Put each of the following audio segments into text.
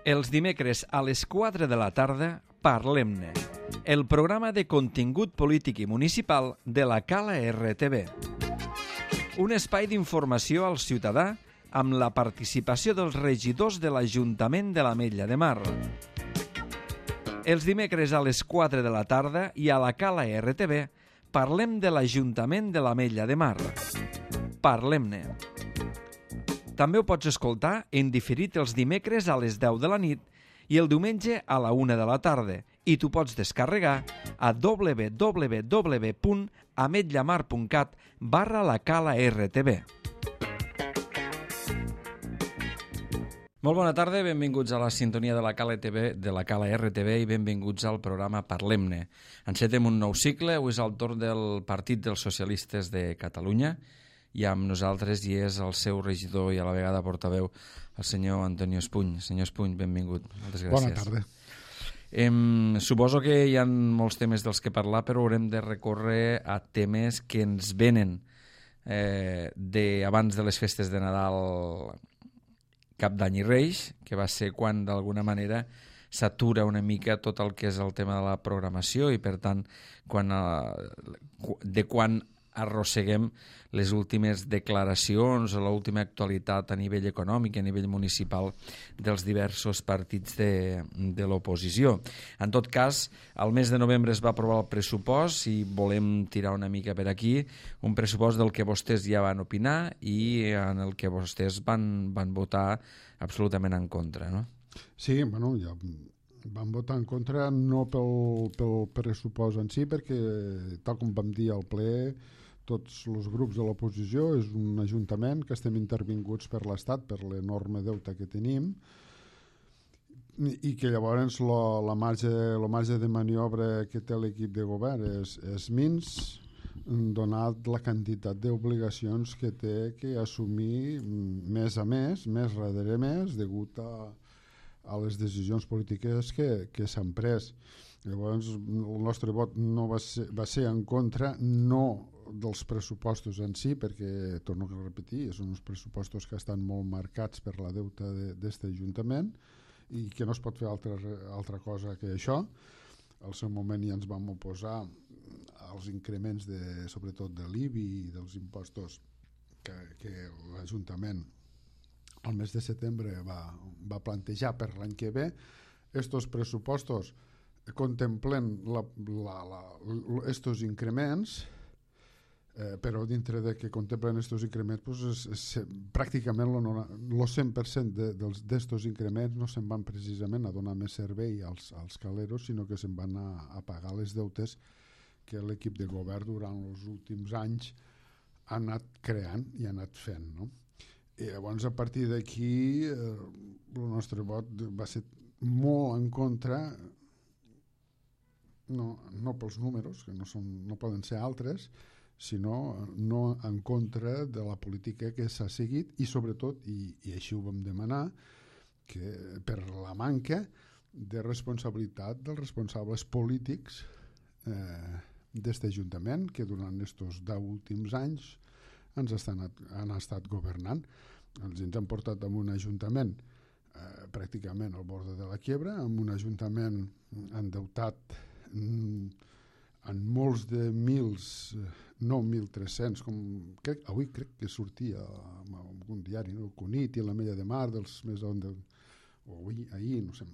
Els dimecres a les 4 de la tarda, Parlem-ne, el programa de contingut polític i municipal de la Cala RTV. Un espai d'informació al ciutadà amb la participació dels regidors de l'Ajuntament de l'Ametlla de Mar. Els dimecres a les 4 de la tarda i a la Cala RTV parlem de l'Ajuntament de l'Ametlla de Mar. Parlem-ne. També ho pots escoltar en diferit els dimecres a les 10 de la nit i el diumenge a la 1 de la tarda i t'ho pots descarregar a www.ametllamar.cat/la-cala-rtv. Molt bona tarda, benvinguts a la sintonia de la Cala TV, de la Cala RTV i benvinguts al programa Parlem-ne. Encetem un nou cicle, avui és el torn del Partit dels Socialistes de Catalunya i amb nosaltres hi és el seu regidor i a la vegada portaveu, el senyor Antonio Espuny. Senyor Espuny, benvingut. Moltes gràcies. Bona tarda. Suposo que hi ha molts temes dels que parlar, però haurem de recórrer a temes que ens venen abans de les festes de Nadal, Cap d'Any i Reis, que va ser quan d'alguna manera s'atura una mica tot el que és el tema de la programació i per tant quan arrosseguem les últimes declaracions o l'última actualitat a nivell econòmic, a nivell municipal dels diversos partits de l'oposició. En tot cas, al mes de novembre es va aprovar el pressupost i volem tirar una mica per aquí, un pressupost del que vostès ja van opinar i en el que vostès van votar absolutament en contra, no? Sí, bueno, ja van votar en contra no pel pressupost en si, perquè tal com vam dir al ple, tots els grups de l'oposició, és un ajuntament que estem intervinguts per l'Estat per l'enorme deute que tenim i que llavors el marge de maniobra que té l'equip de govern és mins, donat la quantitat d'obligacions que té que assumir més a més darrere més, degut a les decisions polítiques que s'han pres. Llavors el nostre vot no va ser en contra, no dels pressupostos en si, perquè, torno a repetir, són uns pressupostos que estan molt marcats per la deuta d'aquest Ajuntament i que no es pot fer altra cosa que això. Al seu moment ja ens vam oposar als increments sobretot de l'IBI i dels impostos que l'Ajuntament al mes de setembre va plantejar per l'any que ve. Estos pressupostos contemplen estos increments, però dintre de que contemplen estos increments pràcticament el 100% d'estos increments no se'n van precisament a donar més servei als caleros, sinó que se'n van a pagar les deutes que l'equip de govern durant els últims anys ha anat creant i ha anat fent, no? I llavors a partir d'aquí el nostre vot va ser molt en contra, no pels números, que no poden ser altres, sinó no en contra de la política que s'ha seguit i sobretot, i així ho vam demanar, que per la manca de responsabilitat dels responsables polítics d'aquest Ajuntament que durant aquests 10 últims anys han estat governant. Ens han portat a un Ajuntament pràcticament al bord de la quiebra, amb un Ajuntament endeutat en molts de mils, no 1.300, avui crec que sortia en algun diari, no? El Cunit i l'Ametlla de Mar, dels més o ahir, no sé.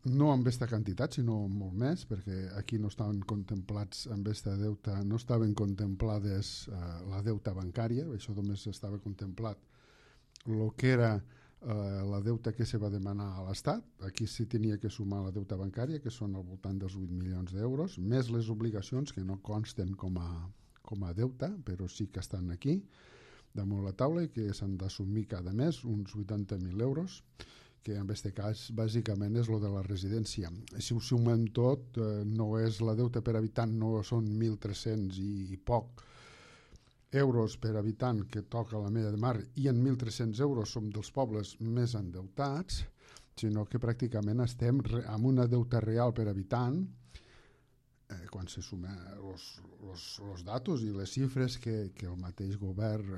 No amb aquesta quantitat, sinó molt més, perquè aquí no estaven contemplats amb aquesta deuta, no estaven contemplades la deuta bancària, això només estava contemplat el que era la deuta que se va demanar a l'Estat. Aquí sí tenia que sumar la deuta bancària, que són al voltant dels 8 milions d'euros, més les obligacions que no consten com a deuta, però sí que estan aquí damunt la taula i que s'han d'assumir cada mes uns 80.000 euros, que en aquest cas bàsicament és el de la residència. Si ho sumem tot, no és la deuta per habitant, no són 1.300 i poc euros per habitant que toca l'Ametlla de Mar i en 1.300 euros som dels pobles més endeutats, sinó que pràcticament estem amb una deuta real per habitant quan se sumen els datos i les xifres que el mateix govern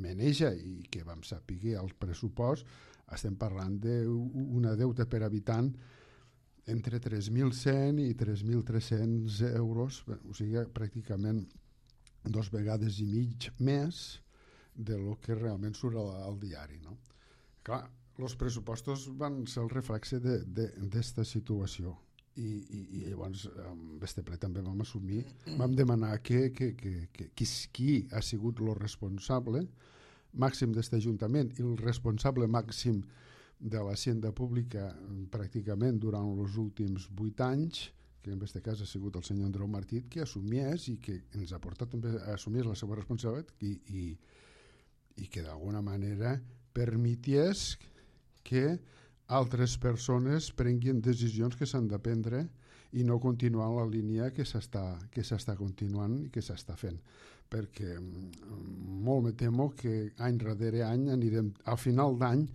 maneja i que vam saber al pressupost, estem parlant d'una deuta per habitant entre 3.100 i 3.300 euros, o sigui, pràcticament 2 vegades i mig més de lo que realment surt al diari, no? Clar, els pressupostos van ser el reflexe d'esta situació i llavors amb este ple també vam assumir, vam demanar qui ha sigut el responsable màxim d'este Ajuntament i el responsable màxim de l'Hacienda Pública pràcticament durant els últims 8 anys, que en aquest cas ha sigut el senyor Andreu Martí, que assumiés i que ens ha portat també a assumir la seva responsabilitat i que d'alguna manera permetés que altres persones prenguin decisions que s'han de prendre i no continuar la línia que s'està continuant i que s'està fent, perquè molt me temo que any darrere any al final d'any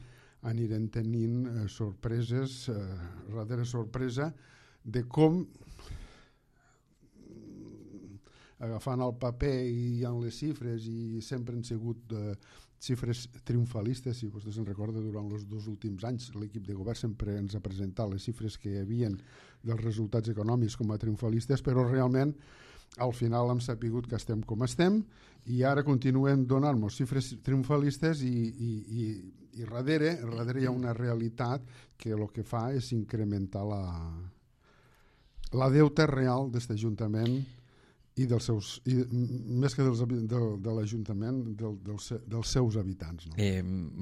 anirem tenint sorpreses darrere sorpresa de com agafant el paper i en les xifres, i sempre han sigut xifres triomfalistes. Si vostè se'n recorda, durant els 2 últims anys l'equip de govern sempre ens ha presentat les xifres que hi havia dels resultats econòmics com a triomfalistes, però realment al final hem sapigut que estem com estem i ara continuen donant-nos xifres triomfalistes i darrere hi ha una realitat que el que fa és incrementar la deuta real d'aquest Ajuntament i més que de l'Ajuntament, dels seus habitants. No?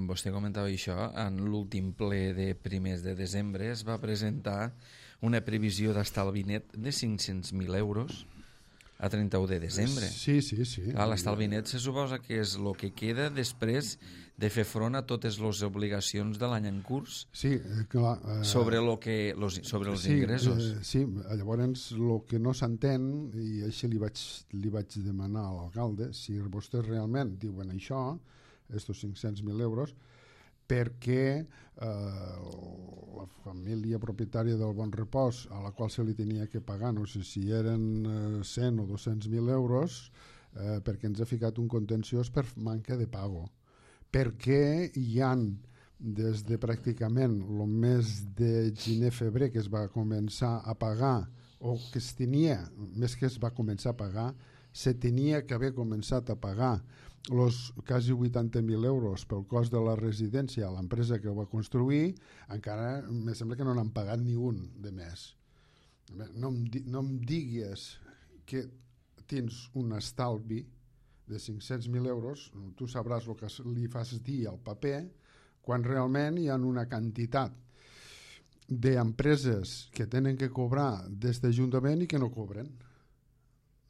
Vostè comentava això, en l'últim ple de primers de desembre es va presentar una previsió d'estalvi net de 500.000 euros a 31 de desembre. Sí. L'estalvi net se suposa que és el que queda després de fer front a totes les obligacions de l'any en curs. Sí, clar. Sobre els ingressos. Sí, llavors el que no s'entén, i així li vaig demanar a l'alcalde, si vostès realment diuen això, estos 500.000 euros, perquè la família propietària del Bon Repòs, a la qual se li tenia que pagar, no sé si eren 100 o 200.000 euros, perquè ens ha ficat un contenciós per manca de pago. Perquè hi han, des de pràcticament el mes de gener-febrer que es va començar a pagar, o que es tenia, més que es va començar a pagar, se tenia que haver començat a pagar els quasi 80.000 euros pel cost de la residència a l'empresa que ho va construir, encara me sembla que no n'han pagat ni un de més. No em digues que tens un estalvi de 500.000 euros, tu sabràs el que li fas dir al paper, quan realment hi ha una quantitat d'empreses que tenen que cobrar des d'Ajuntament i que no cobren.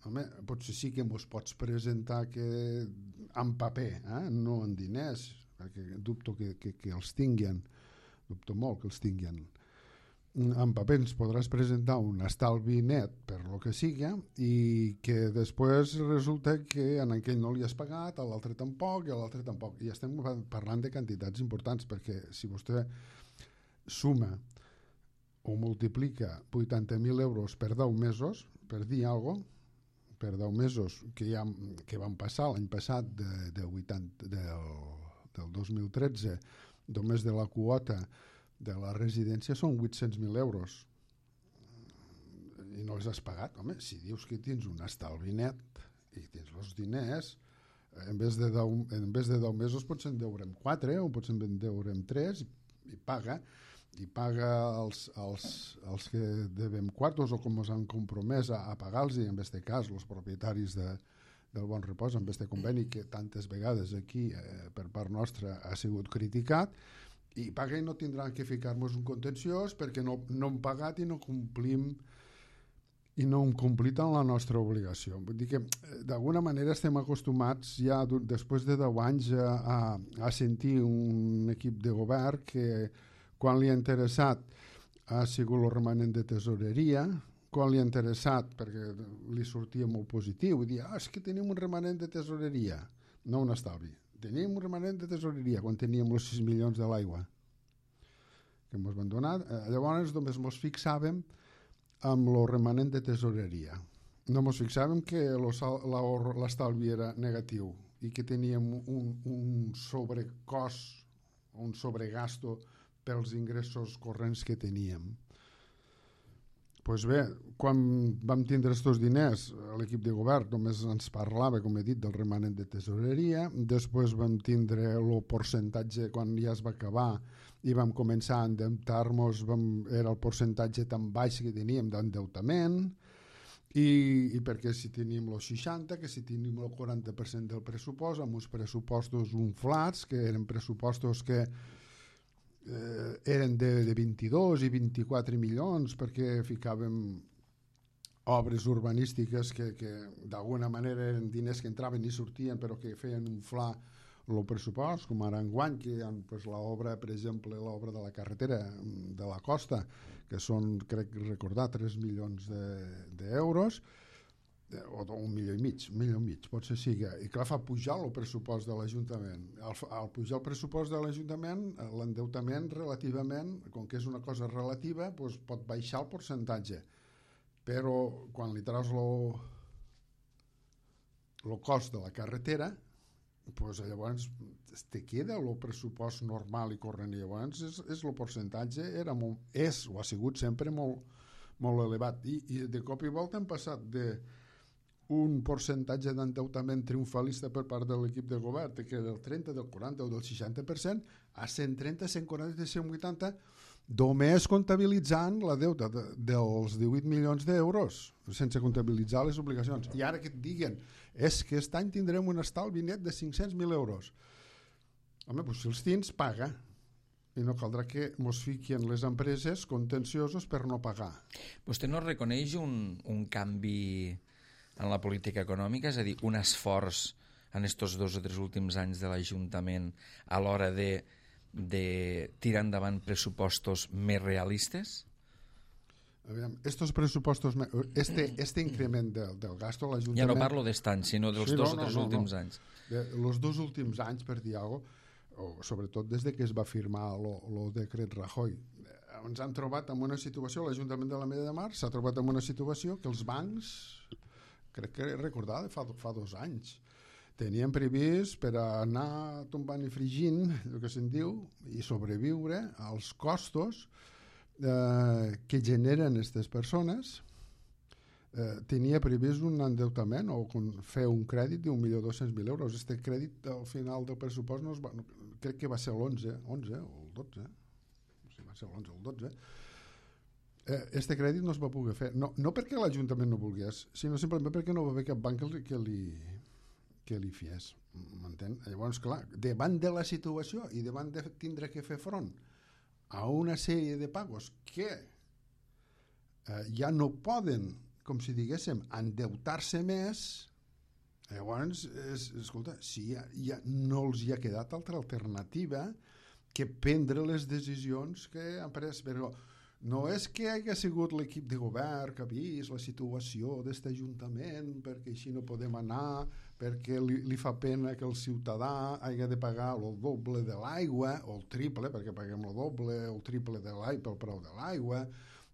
Home, potser sí que mos pots presentar que en paper, no en diners, perquè dubto que els tinguin, dubto molt que els tinguin. En paper ens podràs presentar un estalvi net per lo que siga i que després resulta que en aquell no li has pagat, a l'altre tampoc i a l'altre tampoc. I estem parlant de quantitats importants, perquè si vostè suma o multiplica 80.000 euros per 10 mesos, per dir alguna cosa, per 10 mesos que van passar l'any passat del 2013, només de la quota de la residència són 800.000 euros i no els has pagat. Home, si dius que tens un estalvi net i tens els diners, en vez de 10 mesos pots en deurem 4 o pots en deurem 3 i paga els que devem quartos o com ens han compromès a pagar-los, i en aquest cas els propietaris del Bon Repòs, amb aquest conveni que tantes vegades aquí per part nostra ha sigut criticat, i paga i no tindran que ficar-nos un contenciós perquè no hem pagat i no complim en la nostra obligació. Vull dir que d'alguna manera estem acostumats ja després de 10 anys a sentir un equip de govern que quan li ha interessat ha sigut el remanent de tesoreria, quan li ha interessat perquè li sortia molt positiu i dir, és que tenim un remanent de tesoreria, no un estalvi. Teníem un remanent de tesoreria quan teníem els 6 milions de l'aigua que ens van donar. Llavors només ens fixàvem amb el remanent de tesoreria. No ens fixàvem que l'estalvi era negatiu i que teníem un sobrecost un sobregasto pels ingressos corrents que teníem. Pues bé, quan vam tindre aquests diners, l'equip de govern només ens parlava, com he dit, del remanent de tesoreria. Després vam tindre el percentatge, quan ja es va acabar i vam començar a endeutar-nos, era el percentatge tan baix que teníem d'endeutament, i perquè si tenim el 60, que si tenim el 40% del pressupost, amb uns pressupostos inflats, que eren pressupostos que eren de 22 i 24 milions, perquè ficàvem obres urbanístiques que d'alguna manera eren diners que entraven i sortien, però que feien inflar el pressupost, com ara enguany, que hi ha l'obra, per exemple, l'obra de la carretera de la costa, que són, crec recordar, 3 milions d'euros, o 1,5 milió, potser sigui, i clar, fa pujar el pressupost de l'Ajuntament. Al pujar el pressupost de l'Ajuntament, l'endeutament relativament, com que és una cosa relativa, doncs pot baixar el percentatge, però quan li traus el cost de la carretera, doncs llavors te queda el pressupost normal i corrent, i llavors el percentatge és o ha sigut sempre molt elevat, i de cop i volta hem passat un percentatge d'endeutament triomfalista per part de l'equip de govern, que del 30, del 40 o del 60%, a 130, 140, 180, només comptabilitzant la deuta dels 18 milions d'euros, sense comptabilitzar les obligacions. I ara que et diguen, és que aquest any tindrem un estalvi net de 500.000 euros. Home, doncs si els tens, paga. I no caldrà que mos fiquin les empreses contenciosos per no pagar. Vostè no reconeix un canvi en la política econòmica, és a dir, un esforç en estos 2 o 3 últims anys de l'Ajuntament a l'hora de tirar endavant pressupostos més realistes? Aviam, estos pressupostos, este increment del gasto a l'Ajuntament... Ja no parlo d'est any, sinó dels 2 o 3 últims anys. Els 2 últims anys, per dir alguna cosa, sobretot des que es va firmar el decret Rajoy, ens han trobat en una situació, l'Ajuntament de l'Ametlla de Mar s'ha trobat en una situació que els bancs, crec que recordar fa 2 anys, tenien previst per anar tombant i fregint, el que se'n diu, i sobreviure als costos que generen aquestes persones. Tenia previst un endeutament o fer un crèdit d'1.200.000 euros. Este crèdit al final del pressupost crec que va ser l'11 o el 12, va ser l'11 o el 12. Este crèdit no es va poder fer, no perquè l'Ajuntament no volgués, sinó simplement perquè no va haver cap banc que li fiés, m'entén? Llavors, clar, davant de la situació i davant de tindre que fer front a una sèrie de pagos que ja no poden, com si diguéssim, endeutar-se més, llavors, escolta, si ja no els hi ha quedat altra alternativa que prendre les decisions que han pres, però no és que hagi sigut l'equip de govern que ha vist la situació d'aquest Ajuntament perquè així no podem anar, perquè li fa pena que el ciutadà hagi de pagar el doble de l'aigua o el triple, perquè paguem el doble o el triple de l'aigua pel preu de l'aigua,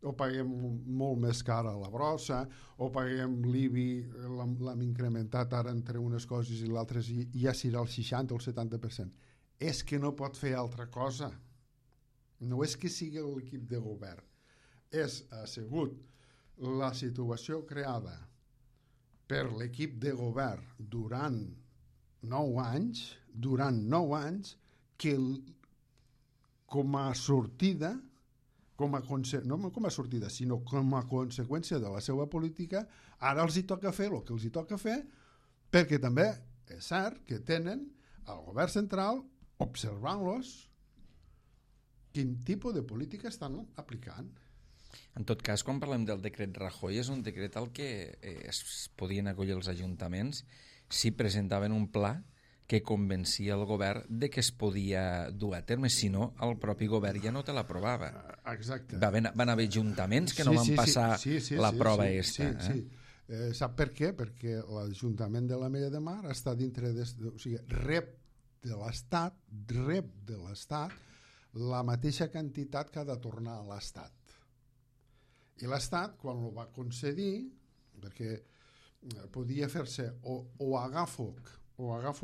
o paguem molt més cara la brossa, o paguem l'IBI, l'hem incrementat ara entre unes coses i l'altres i ja serà el 60 o el 70%. És que no pot fer altra cosa. No és que sigui l'equip de govern, ha sigut la situació creada per l'equip de govern durant 9 anys, que com a sortida, no com a sortida, sinó com a conseqüència de la seva política, ara els hi toca fer el que els hi toca fer, perquè també és cert que tenen el govern central observant-los quin tipus de política estan aplicant. En tot cas, quan parlem del decret Rajoy, és un decret al que es podien acollir els ajuntaments si presentaven un pla que convencia el govern de que es podia dur a terme, si no, el propi govern ja no te l'aprovava. Exacte. Van haver ajuntaments que no van passar la prova esta. Sí. Sap per què? Perquè l'Ajuntament de l'Ametlla de Mar està dintre o sigui, rep de l'Estat la mateixa quantitat que ha de tornar a l'Estat. I l'Estat, quan ho va concedir, perquè podia fer-se o agafo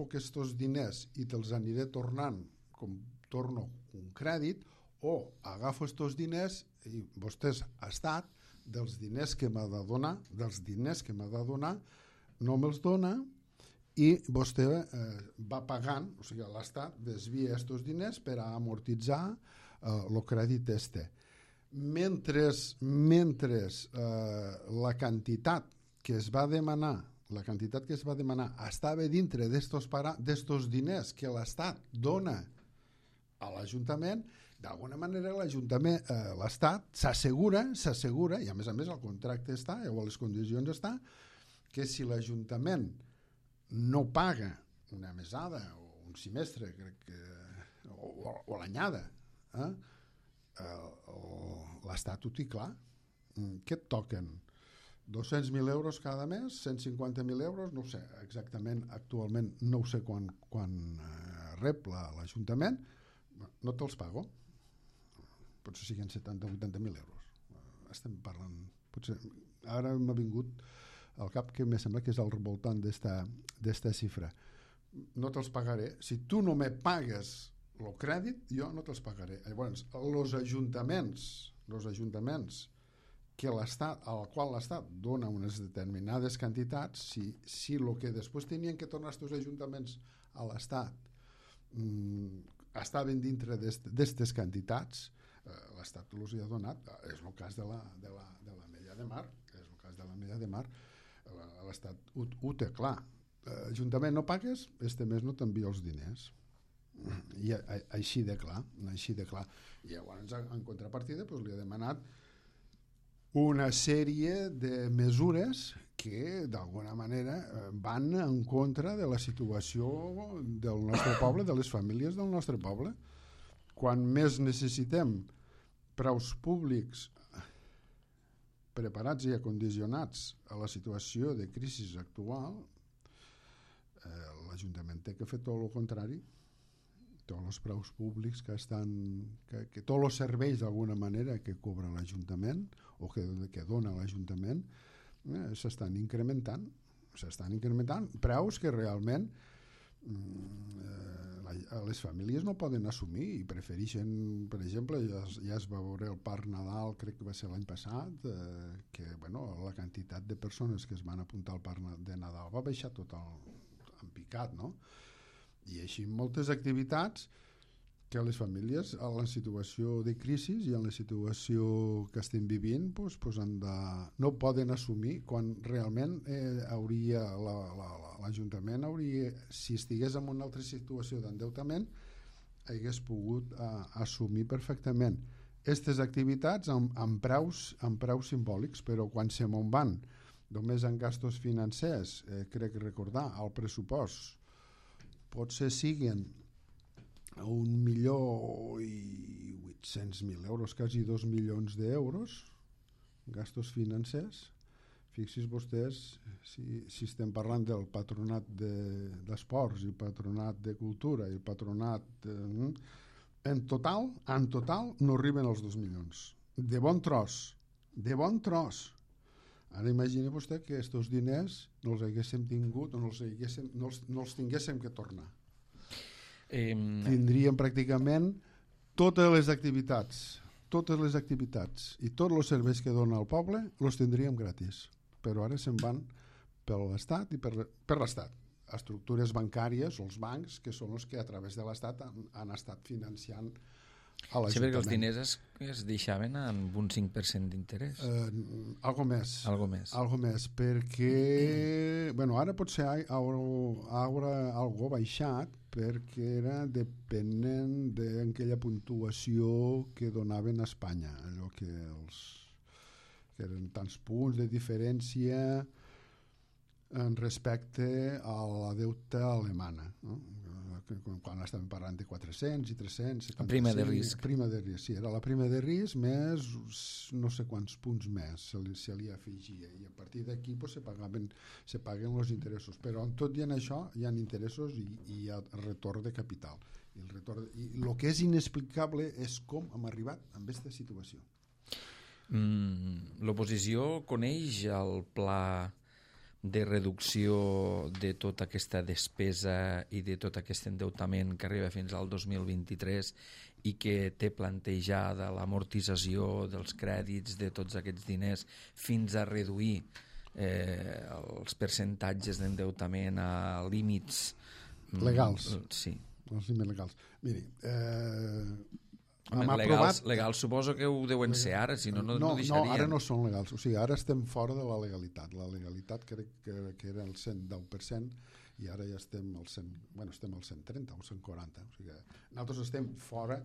aquests diners i te'ls aniré tornant com torno un crèdit o agafo estos diners i vostès, Estat, dels diners que m'ha de donar, no me'ls dona i vostè va pagant, o sigui, l'Estat desvia estos diners per a amortitzar el crèdit este. Mentre la quantitat que es va demanar estava dintre d'estos diners que l'Estat dona a l'Ajuntament, d'alguna manera l'Estat s'assegura, i a més el contracte està, o les condicions està, que si l'Ajuntament no paga una mesada o un semestre, crec que, o l'anyada, l'Estat ho té clar. Què et toquen? 200.000 euros cada mes, 150.000 euros, no ho sé exactament, actualment no ho sé quan rep l'Ajuntament, no te'ls pago. Potser siguin 70 o 80.000 euros. Estem parlant... Potser, ara m'ha vingut al cap que me sembla que és al voltant d'esta xifra. No te'ls pagaré. Si tu no me pagues el crèdit, jo no te'ls pagaré. Llavors, els ajuntaments al qual l'Estat dona unes determinades quantitats, si el que després tenien que tornar aquests ajuntaments a l'Estat estaven dintre d'aquestes quantitats, l'Estat els hi ha donat. És el cas de la Mella de Mar. L'Estat ho té clar. Ajuntament, no pagues, este mes no t'envia els diners. I així de clar. I llavors, en contrapartida, li ha demanat una sèrie de mesures que d'alguna manera van en contra de la situació del nostre poble, de les famílies del nostre poble. Quan més necessitem preus públics preparats i acondicionats a la situació de crisi actual, l'Ajuntament té que fer tot el contrari. Tots els preus públics que tots els serveis d'alguna manera que cobra l'Ajuntament o que dona l'Ajuntament s'estan incrementant preus que realment les famílies no poden assumir i prefereixen, per exemple, ja es va veure el Parc Nadal, crec que va ser l'any passat, que la quantitat de persones que es van apuntar al Parc de Nadal va baixar tot en picat, no? I així moltes activitats que les famílies en la situació de crisi i en la situació que estem vivint no poden assumir quan realment l'Ajuntament si estigués en una altra situació d'endeutament hagués pogut assumir perfectament aquestes activitats amb preus simbòlics, però quan se me'n van només en gastos financers, crec recordar el pressupost potser siguin 1.800.000 euros, quasi 2 milions d'euros, gastos financers. Fixis vostès, si estem parlant del patronat d'esports i el patronat de cultura i el patronat... En total no arriben als 2 milions. De bon tros. Ara imagina vostè que aquests diners no els haguéssim tingut o no els tinguéssim que tornar. Tindríem pràcticament totes les activitats i tots els serveis que dona el poble els tindríem gratis, però ara se'n van per l'Estat i per l'Estat. Estructures bancàries o els bancs que són els que a través de l'Estat han estat financiant a l'Ajuntament. Sí, perquè els diners es deixaven amb un 5% d'interès. Algo més, perquè ara potser haurà algo baixat perquè era depenent d'aquella puntuació que donaven a Espanya, allò que eren tants punts de diferència respecte a la deuta alemana, no? Quan estàvem parlant de 400 i 300... Prima de risc. Sí, era la prima de risc més no sé quants punts més se li afegia, i a partir d'aquí se paguen els interessos, però tot i en això hi ha interessos i hi ha retorn de capital. I el que és inexplicable és com hem arribat a aquesta situació. L'oposició coneix el pla de reducció de tota aquesta despesa i de tot aquest endeutament que arriba fins al 2023 i que té plantejada l'amortització dels crèdits de tots aquests diners fins a reduir els percentatges d'endeutament a límits legals. Sí. Els límits legals. Miri, legals suposo que ho deuen ser ara, si no deixarien. No, ara no són legals. O sigui, ara estem fora de la legalitat. La legalitat crec que era el 110% i ara ja estem al 130 o 140. O sigui, nosaltres estem fora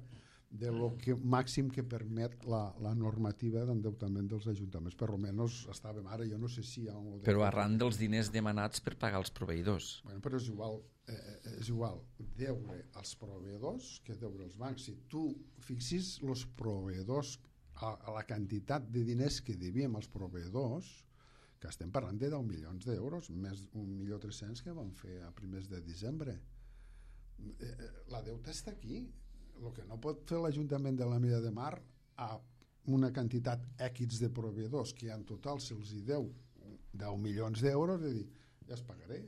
de lo que màxim que permet la normativa d'endeutament dels ajuntaments. Per almenys estàvem ara, jo no sé si hi ha... Però arran dels diners demanats per pagar els proveïdors. Bueno, però és igual deure als proveïdors que deure als bancs. Si tu fixis els proveïdors a la quantitat de diners que devíem als proveïdors, que estem parlant de 10 milions d'euros, més 1.300.000 que van fer a primers de desembre. La deuta està aquí. El que no pot fer l'Ajuntament de l'Ametlla de Mar a una quantitat X de proveïdors que en total se'ls deu 10 milions d'euros, és dir, ja es pagaré.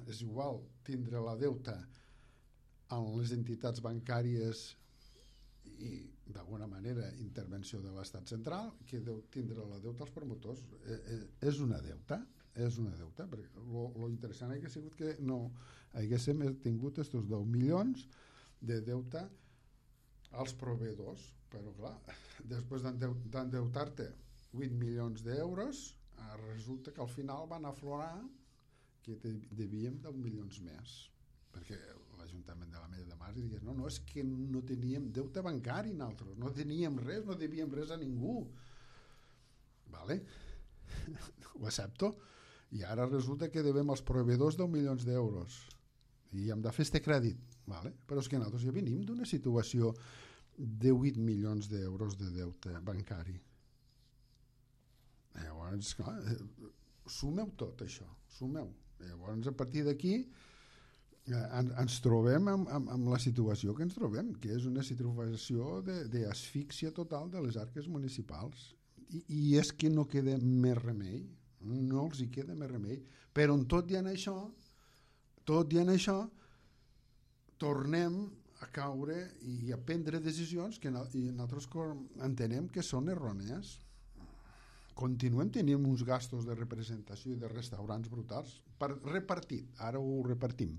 És igual tindre la deuta en les entitats bancàries i d'alguna manera intervenció de l'Estat central que tindre la deuta als promotors. És una deuta, perquè lo interessant ha sigut que no haguéssim tingut estos 10 milions de deute als proveïdors, però clar, després d'endeutar-te 8 milions d'euros, resulta que al final van aflorar que devíem 10 milions més, perquè l'Ajuntament de l'Ametlla de Mar digués, no, és que no teníem deute bancari nosaltres, no teníem res, no devíem res a ningú. Vale? Ho accepto. I ara resulta que devem als proveïdors 10 milions d'euros i hem de fer este crèdit, vale? Però és que nosaltres ja venim d'una situació de 8 milions d'euros de deute bancari. Llavors, clar, sumeu tot això, sumeu. Llavors, a partir d'aquí ens trobem amb la situació que ens trobem, que és una situació d'asfíxia total de les arques municipals. I és que no queda més remei, no els hi queda més remei, però tot i en això tornem a caure i a prendre decisions que nosaltres entenem que són errònies. Continuem tenint uns gastos de representació i de restaurants brutals repartit, ara ho repartim.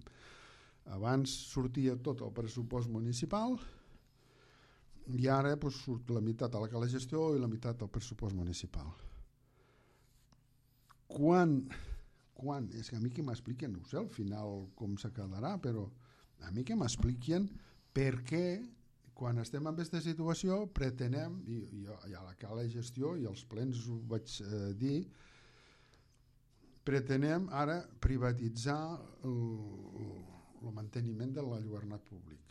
Abans sortia tot el pressupost municipal i ara surt la meitat a la cala gestió i la meitat al pressupost municipal. Quan? És que a mi que m'expliquen, no sé al final com se quedarà, però a mi que m'expliquen per què quan estem en aquesta situació pretenem, i a la cala gestió i als plens ho vaig dir, pretenem ara privatitzar el manteniment de l'enlluernat públic.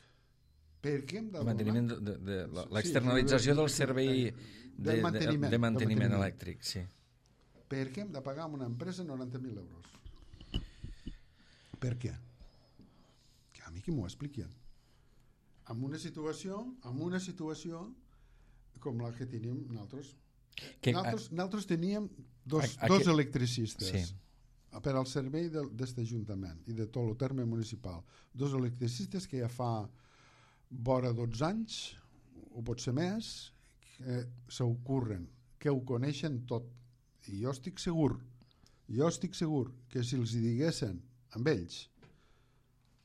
Per què hem de manteniment de l'externalització del servei de manteniment elèctric, sí. Per què hem de pagar a una empresa 90.000 euros? Per què? Que a mi qui m'ho expliquen. En una situació com la que tenim nosaltres. Nosaltres teníem dos electricistes per al servei d'aquest Ajuntament i de tot el terme municipal. Dos electricistes que ja fa vora 12 anys, o pot ser més, que s'ocorren, que ho coneixen tot. I jo estic segur que si els diguessin amb ells,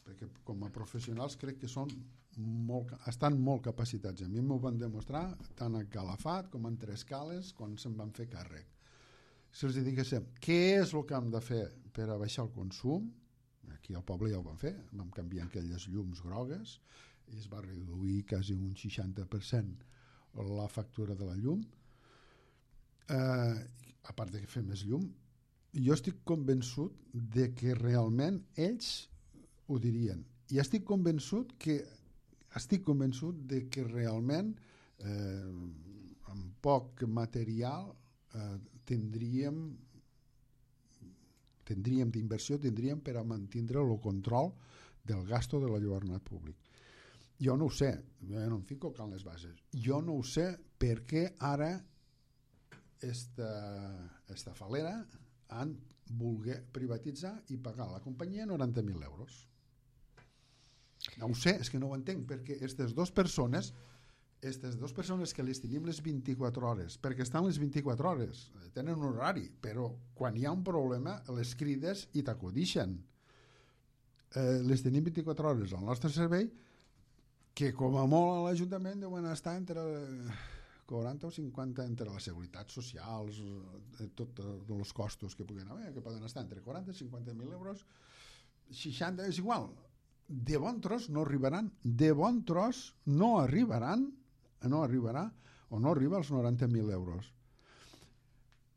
perquè com a professionals crec que estan molt capacitats. A mi m'ho van demostrar tant a Calafat com en Tres Cales quan se'n van fer càrrec. Si els diguéssim què és el que hem de fer per a baixar el consum, aquí al poble ja ho vam fer, vam canviar aquelles llums grogues i es va reduir quasi un 60% la factura de la llum, a part de fer més llum. Jo estic convençut de que realment ells ho dirien, i estic convençut de que realment amb poc material tindríem d'inversió, tindríem per a mantindre el control del gasto de l'enlluernat públic. Jo no ho sé, jo no em fico en les bases, jo no ho sé per què ara esta falera han volgut privatitzar i pagar a la companyia 90.000 euros. No ho sé, és que no ho entenc, perquè aquestes dues persones que les tenim les 24 hores, perquè estan les 24 hores, tenen un horari, però quan hi ha un problema les crides i t'acudixen. Les tenim 24 hores al nostre servei, que com a molt a l'Ajuntament deuen estar entre 40 o 50 entre les seguretats socials, tots els costos que puguen haver, que poden estar entre 40 i 50.000 euros, 60, és igual. De bon tros no arribaran, de bon tros no arribarà o no arriba als 90.000 euros.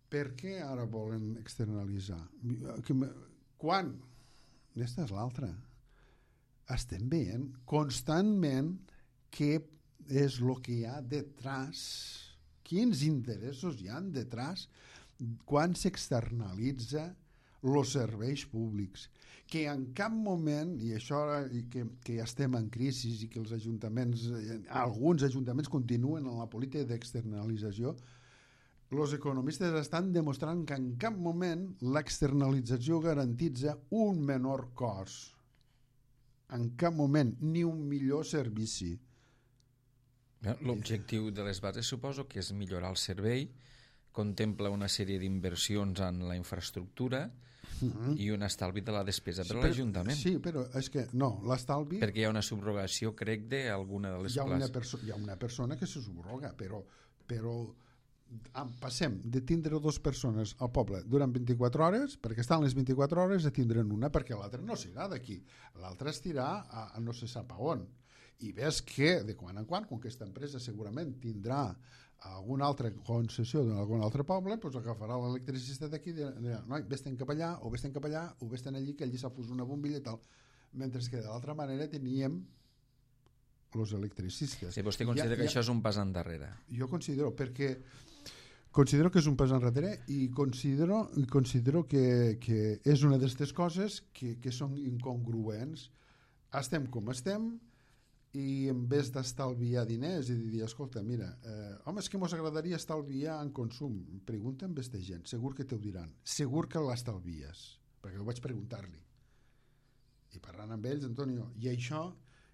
Per què ara volen externalitzar? Quan? Aquesta és l'altra. Estem veient constantment què és el que hi ha detrás, quins interessos hi ha detrás quan s'externalitza els serveis públics, que en cap moment, i això que ja estem en crisi i que els ajuntaments, alguns ajuntaments continuen en la política d'externalització, els economistes estan demostrant que en cap moment l'externalització garantitza un menor cost, en cap moment, ni un millor servici. L'objectiu de les bases suposo que és millorar el servei, contempla una sèrie d'inversions en la infraestructura i un estalvi de la despesa per a l'Ajuntament. Sí, però és que no, l'estalvi... Perquè hi ha una subrogació, crec, d'alguna de les places. Hi ha una persona que se subroga, però passem de tindre dues persones al poble durant 24 hores, perquè estan les 24 hores, a tindre'n una, perquè l'altra no s'irà d'aquí. L'altra estirà a no se sap a on. I ves que, de quan en quan, com que aquesta empresa segurament tindrà alguna altra concessió d'algun altre poble, doncs agafarà l'electricista d'aquí i dirà, noi, vés-te'n cap allà, o vés-te'n cap allà, o vés-te'n allí, que allí s'ha posat una bombilla i tal. Mentre que de l'altra manera teníem els electricistes. Sí, vostè considera que això és un pas endarrere? Jo considero, perquè considero que és un pas enrere i considero que és una d'aquestes coses que són incongruents. Estem com estem, i en vez d'estalviar diners i dir, escolta, mira, home, és que mos agradaria estalviar en consum. Pregunta amb aquesta gent, segur que t'ho diran, segur que l'estalvies, perquè ho vaig preguntar-li. I parlant amb ells, Antonio, i això,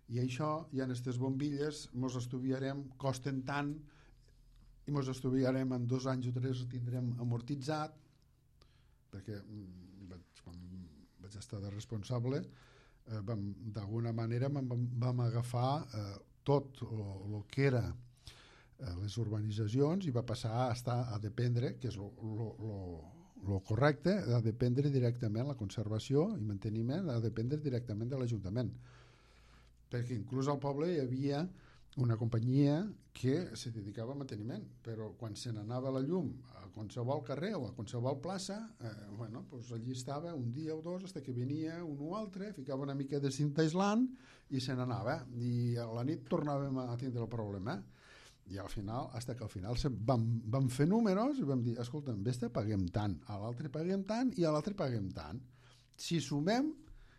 hi ha aquestes bombilles, mos estudiarem, costen tant, i mos estudiarem en 2 anys o 3 ho tindrem amortitzat, perquè quan vaig estar de responsable, d'alguna manera vam agafar tot el que era les urbanitzacions i va passar a dependre, que és el correcte, a dependre directament la conservació i manteniment, a dependre directament de l'Ajuntament, perquè inclús al poble hi havia una companyia que se dedicava a manteniment, però quan se n'anava la llum a qualsevol carrer o a qualsevol plaça, doncs allí estava un dia o dos fins que venia un o altre, ficava una mica de cinta aislant i se n'anava, i a la nit tornàvem a tindre el problema. I al final, fins que al final vam fer números i vam dir, escolta'm, vés-te, paguem tant, a l'altre paguem tant i a l'altre paguem tant. Si sumem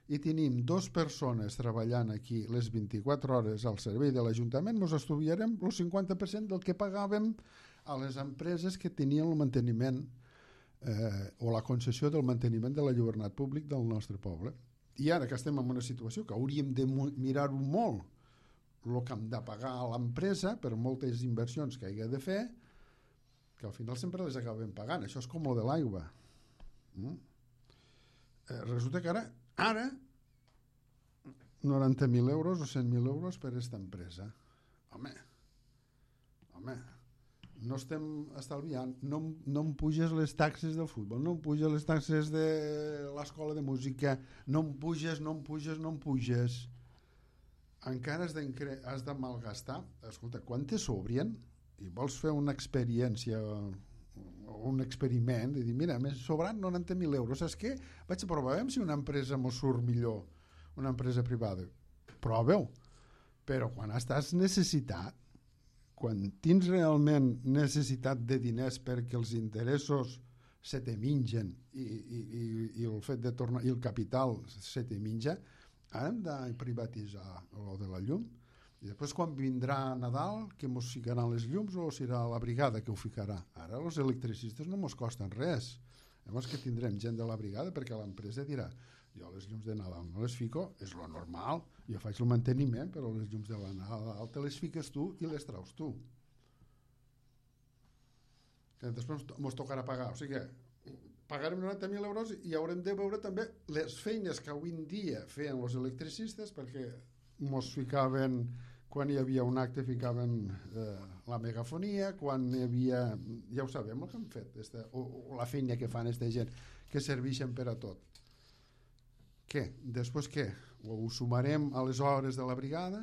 i tenim 2 persones treballant aquí les 24 hores al servei de l'Ajuntament, ens estudiarem el 50% del que pagàvem a les empreses que tenien el manteniment o la concessió del manteniment de l'enlluernat públic del nostre poble. I ara que estem en una situació que hauríem de mirar-ho molt, el que hem de pagar a l'empresa per moltes inversions que hagi de fer, que al final sempre les acabem pagant. Això és com el de l'aigua. Resulta que ara 90.000 euros o 100.000 euros per aquesta empresa. Home, no estem estalviant, no em puges les taxes del futbol, no em puges les taxes de l'escola de música, no em puges. Encara has de malgastar. Escolta, quan te sobrien i vols fer una experiència un experiment i dir, mira, m'he sobrat 90.000 euros, saps què? Vaig a provar si una empresa m'ho surt millor, una empresa privada. Prova-ho. Però quan estàs necessitat, quan tens realment necessitat de diners perquè els interessos se te mengen i el fet de tornar i el capital se te menja, hem de privatitzar el de la llum. I després quan vindrà Nadal, que mos ficaran les llums o serà la brigada que ho ficarà? Ara els electricistes no mos costen res. Llavors que tindrem gent de la brigada perquè l'empresa dirà jo les llums de Nadal no les fico, és lo normal, jo faig el manteniment, però les llums de la Nadal te les fiques tu i les traus tu. Que després mos tocarà pagar, o sigui que pagarem 90.000 euros i haurem de veure també les feines que avui en dia feien els electricistes, perquè mos ficaven, quan hi havia un acte ficaven la megafonia, quan hi havia, ja ho sabem el que han fet o la feina que fan aquesta gent que serveixen per a tot. Què? Després què? Ho sumarem a les hores de la brigada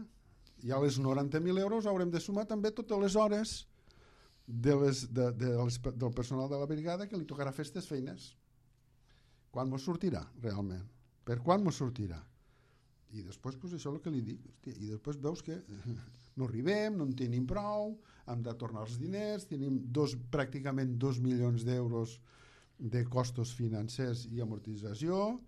i a les 90.000 euros haurem de sumar també totes les hores del personal de la brigada que li tocarà fer aquestes feines. Quan mos sortirà realment? Per quan mos sortirà? I després pues, això és el que li dic, hòstia, i després veus que no arribem, no en tenim prou, hem de tornar els diners, tenim pràcticament 2 milions d'euros de costos financers i amortització,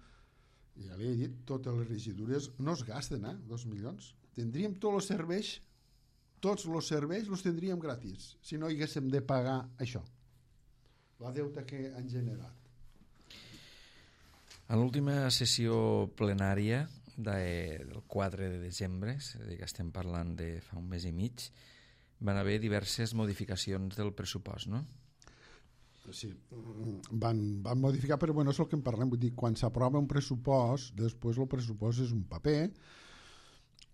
i ja li he dit, totes les regidures no es gasten, 2 milions. Tindríem tots els serveis els tindríem gratis, si no haguéssim de pagar això, la deuta que han generat. En l'última sessió plenària del 4 de desembre, és a dir, que estem parlant de fa un mes i mig, van haver diverses modificacions del pressupost, no? Sí, van modificar, però bueno, és el que en parlem, vull dir, quan s'aprova un pressupost, després el pressupost és un paper,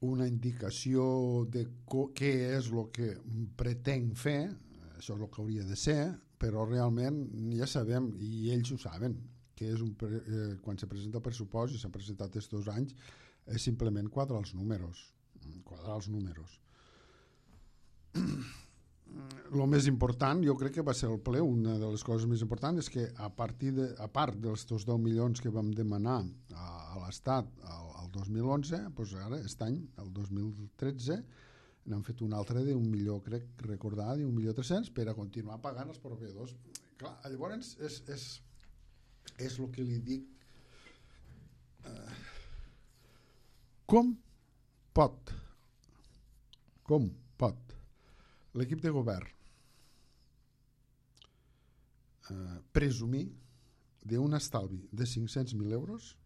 una indicació de què és el que pretenc fer, això és el que hauria de ser, però realment ja sabem, i ells ho saben, que és quan se presenta el pressupost, i s'ha presentat aquests 2 anys, és simplement quadrar els números. El més important, jo crec que va ser el ple, una de les coses més importants és que a part dels 10 milions que vam demanar a l'Estat al 2011, doncs ara, aquest any, el 2013, n'han fet un altre d'1 milió, crec recordar, d'1.300.000 per a continuar pagant els proveïdors. Clar, llavors és el que li dic. Com pot l'equip de govern presumir d'un estalvi de 500.000 euros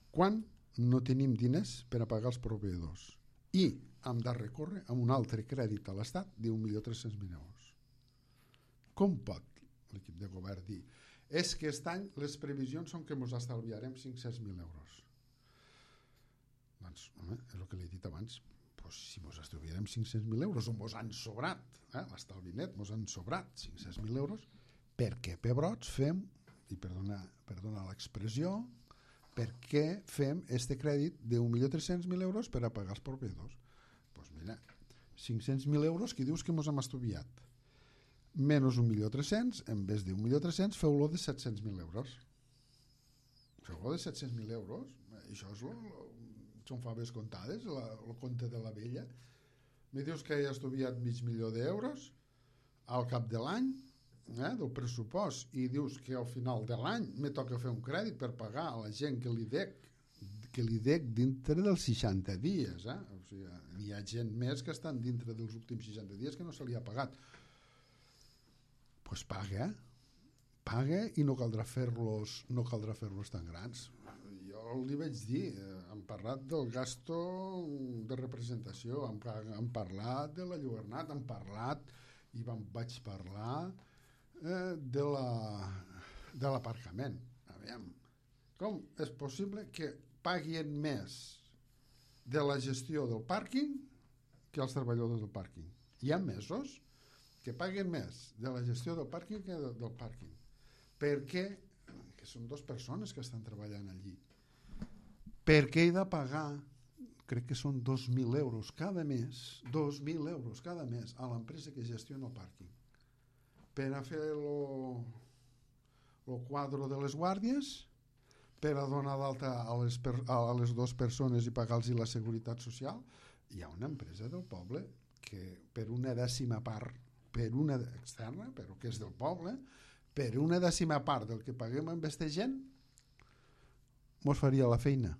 quan no tenim diners per a pagar els proveïdors i hem de recórrer a un altre crèdit a l'Estat d'1.300.000 euros? Com pot l'equip de govern dir és que aquest any les previsions són que ens estalviarem 500.000 euros? Doncs, home, és el que li he dit abans, pues, si ens estalviarem 500.000 euros o ens han sobrat, l'estalvi net ens han sobrat 500.000 euros, per què pebrots fem, i perdona l'expressió, per què fem este crèdit de 1.300.000 euros per a pagar els proveïdors? Doncs mira, 500.000 euros que dius que ens hem estudiat, menys 1.300.000, en vez de 1.300.000, feu-lo de 700.000 euros. Feu-lo de 700.000 euros, això són faves comptades, el compte de la vella. Me dius que he estudiat $500.000 al cap de l'any, del pressupost, i dius que al final de l'any me toca fer un crèdit per pagar a la gent que li dec dintre dels 60 dies. O sigui, hi ha gent més que estan dintre dels últims 60 dies que no se li ha pagat. Doncs paga i no caldrà fer-los tan grans. Jo li vaig dir, hem parlat del gasto de representació, hem parlat de la Llobernat, hem parlat i vaig parlar de l'aparcament. Aviam, com és possible que paguin més de la gestió del pàrquing que els treballadors del pàrquing? Hi ha mesos que paguen més de la gestió del pàrquing que del pàrquing. Per què? Que són 2 persones que estan treballant allí. Per què he de pagar, crec que són 2.000 euros cada mes, 2.000 euros cada mes a l'empresa que gestiona el pàrquing per a fer el quadre de les guàrdies, per a donar d'alta a les 2 persones i pagar-los la seguretat social? Hi ha una empresa del poble que per una dècima part, externa, però que és del poble, per una dècima part del que paguem amb aquesta gent mos faria la feina.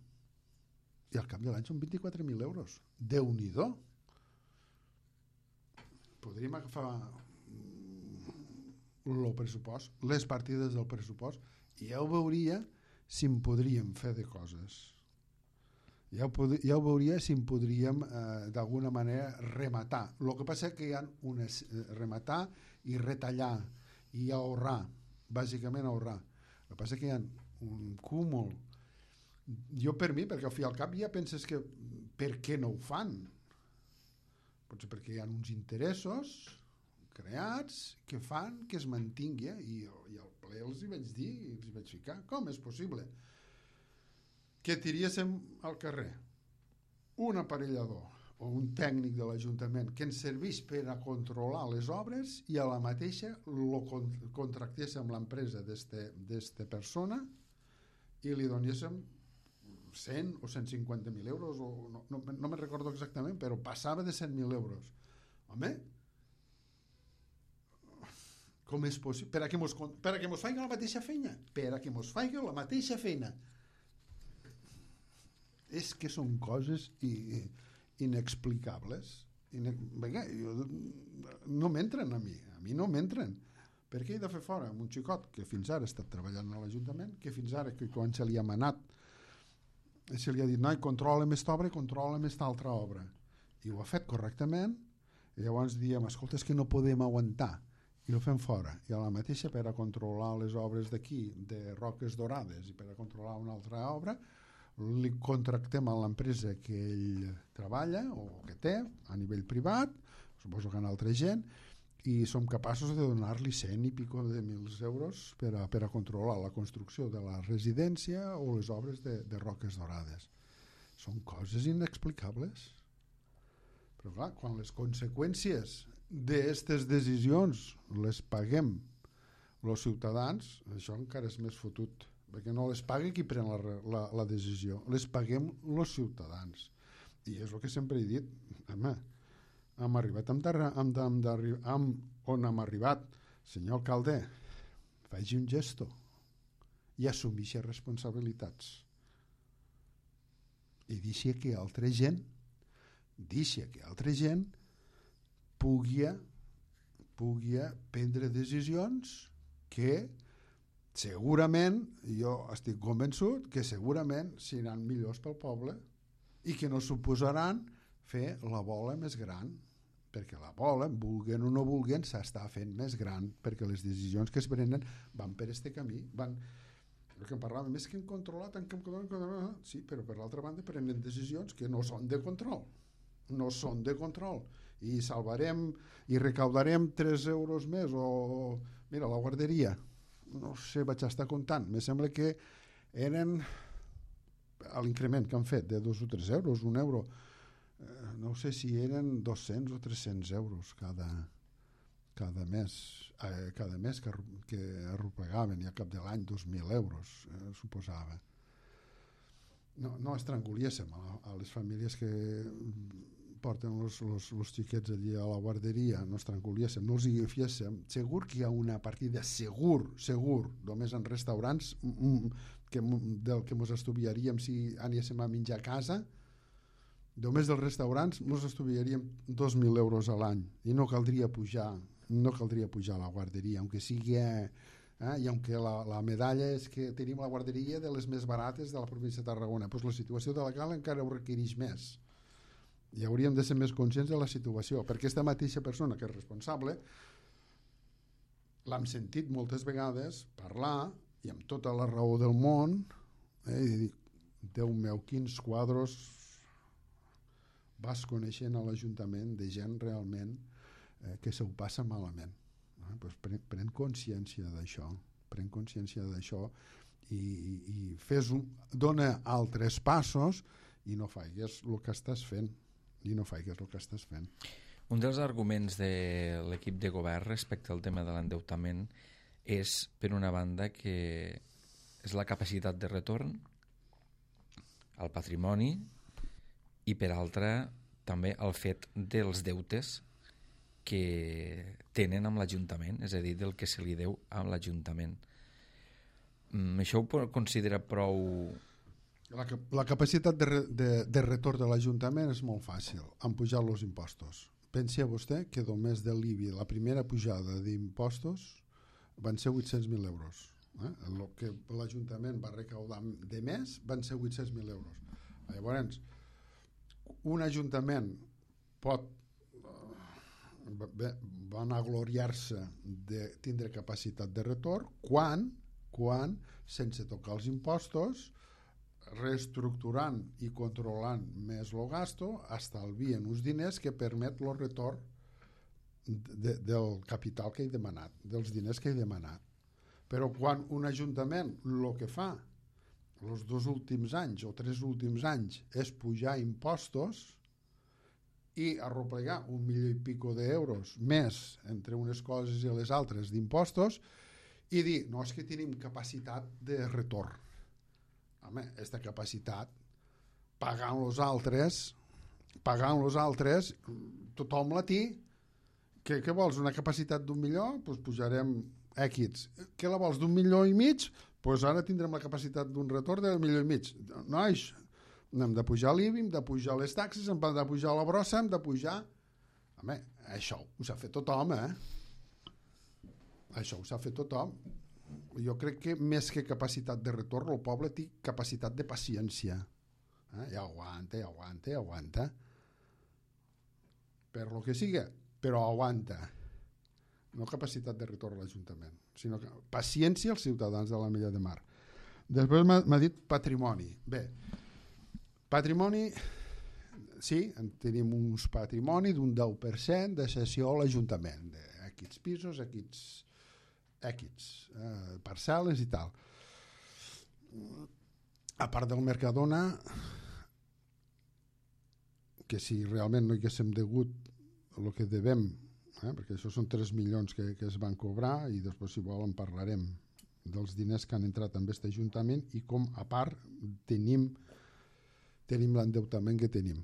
i al cap de l'any són 24.000 euros. Déu-n'hi-do. Podríem agafar el pressupost, les partides del pressupost, i ja ho veuria si en podríem fer de coses. Ja ho veuria si en podríem d'alguna manera rematar. El que passa és que hi ha rematar i retallar i ahorrar, bàsicament ahorrar. El que passa és que hi ha un cúmul. Jo per mi, perquè al fi al cap ja penses que per què no ho fan? Potser perquè hi ha uns interessos creats que fan que es mantingui, i al ple els hi vaig dir, els hi vaig ficar, com és possible que tiriéssim al carrer un aparellador o un tècnic de l'Ajuntament que ens servís per a controlar les obres i a la mateixa lo contractéssim l'empresa d'esta persona i li donéssim 100 o 150.000 euros, o no me'n recordo exactament, però passava de 100.000 euros. Home, com és possible? Per a que mos faiga la mateixa feina. Per a que mos faiga la mateixa feina. És que són coses inexplicables. Vinga, no m'entren a mi no m'entren. Per què he de fer fora amb un xicot que fins ara ha estat treballant a l'Ajuntament, que fins ara, que quan se li ha manat, se li ha dit, noi, controla aquesta obra i controla aquesta altra obra. I ho ha fet correctament, i llavors diem, escolta, és que no podem aguantar, i ho fem fora. I a la mateixa, per a controlar les obres d'aquí, de Roques Dorades, i per a controlar una altra obra, li contractem a l'empresa que ell treballa o que té a nivell privat, suposo que en altra gent, i som capaços de donar-li 100 i pico de mils euros per a controlar la construcció de la residència o les obres de Roques Dorades. Són coses inexplicables. Però clar, quan les conseqüències d'aquestes decisions les paguem els ciutadans, això encara és més fotut, perquè no les paga qui pren la decisió, les paguem els ciutadans. I és el que sempre he dit, home, hem arribat on hem arribat. Senyor alcalde, faci un gesto i assumeixi responsabilitats. I deixi que altra gent pugui prendre decisions que segurament, jo estic convençut que segurament seran millors pel poble i que no suposaran fer la bola més gran, perquè la bola, vulguen o no vulguen, s'està fent més gran, perquè les decisions que es prenen van per este camí, van... El que en parlàvem és que hem controlat, sí, però per l'altra banda prenen decisions que no són de control, i salvarem i recaudarem 3 euros més, o mira, la guarderia, no sé, vaig estar comptant, me sembla que eren l'increment que han fet de 2 o 3 euros, 1 euro, no sé si eren 200 o 300 euros cada mes que arropegaven, i al cap de l'any 2.000 euros suposava. No estrangulíssim a les famílies que porten els xiquets allí a la guarderia, no estrangulíssim, no els hi fiéssim. Segur que hi ha una partida, segur, només en restaurants del que ens estudiaríem si anéssim a menjar a casa. Només dels restaurants ens estudiaríem 2.000 euros a l'any i no caldria pujar la guarderia, aunque sigui i aunque la medalla és que tenim la guarderia de les més barates de la província de Tarragona, doncs la situació de la Cala encara ho requereix més i hauríem de ser més conscients de la situació, perquè aquesta mateixa persona que és responsable l'hem sentit moltes vegades parlar, i amb tota la raó del món, i dir, Déu meu, quins quadros vas coneixent a l'Ajuntament de gent realment que se ho passa malament. Pues pren consciència d'això i dona altres passos i no faigues el que estàs fent. Un dels arguments de l'equip de govern respecte al tema de l'endeutament és, per una banda, que és la capacitat de retorn al patrimoni i, per altra, també el fet dels deutes que tenen amb l'Ajuntament, és a dir, del que se li deu a l'Ajuntament. Això ho considera prou La capacitat de retorn de l'Ajuntament és molt fàcil, han pujat els impostos. Pensi a vostè que només de l'IBI, la primera pujada d'impostos, van ser 800.000 euros. El que l'Ajuntament va recaudar de més van ser 800.000 euros. Llavors, un Ajuntament pot vanagloriar-se de tindre capacitat de retorn quan sense tocar els impostos, reestructurant i controlant més el gasto, estalvien uns diners que permet el retorn del capital que he demanat, dels diners que he demanat. Però quan un ajuntament el que fa els 2 últims anys o 3 últims anys és pujar impostos i arroplegar 1 milió i pico d'euros més entre unes coses i les altres d'impostos i dir, no, és que tenim capacitat de retorn. Home, aquesta capacitat, pagant los altres, tothom la té. Què vols, una capacitat d'1 milió? Doncs pujarem X. Què la vols, d'1,5 milions? Doncs ara tindrem la capacitat d'un retorn de 1,5 milions. Nois, hem de pujar l'IBI, hem de pujar les taxes, hem de pujar la brossa, hem de pujar... Home, això ho s'ha fet tothom, Això ho s'ha fet tothom. Jo crec que més que capacitat de retorn, el poble té capacitat de paciència. I aguanta. Per lo que siga, però aguanta. No capacitat de retorn a l'Ajuntament, sinó que paciència als ciutadans de l'Ametlla de Mar. Després m'ha dit patrimoni. Bé, patrimoni, sí, tenim uns patrimoni d'un 10% de cessió a l'Ajuntament, d'aquests pisos, aquests parcel·les i tal. A part del Mercadona, que si realment no haguéssim degut el que devem, perquè això són 3 milions que es van cobrar i després si volen parlarem dels diners que han entrat en aquest Ajuntament i com a part tenim l'endeutament que tenim.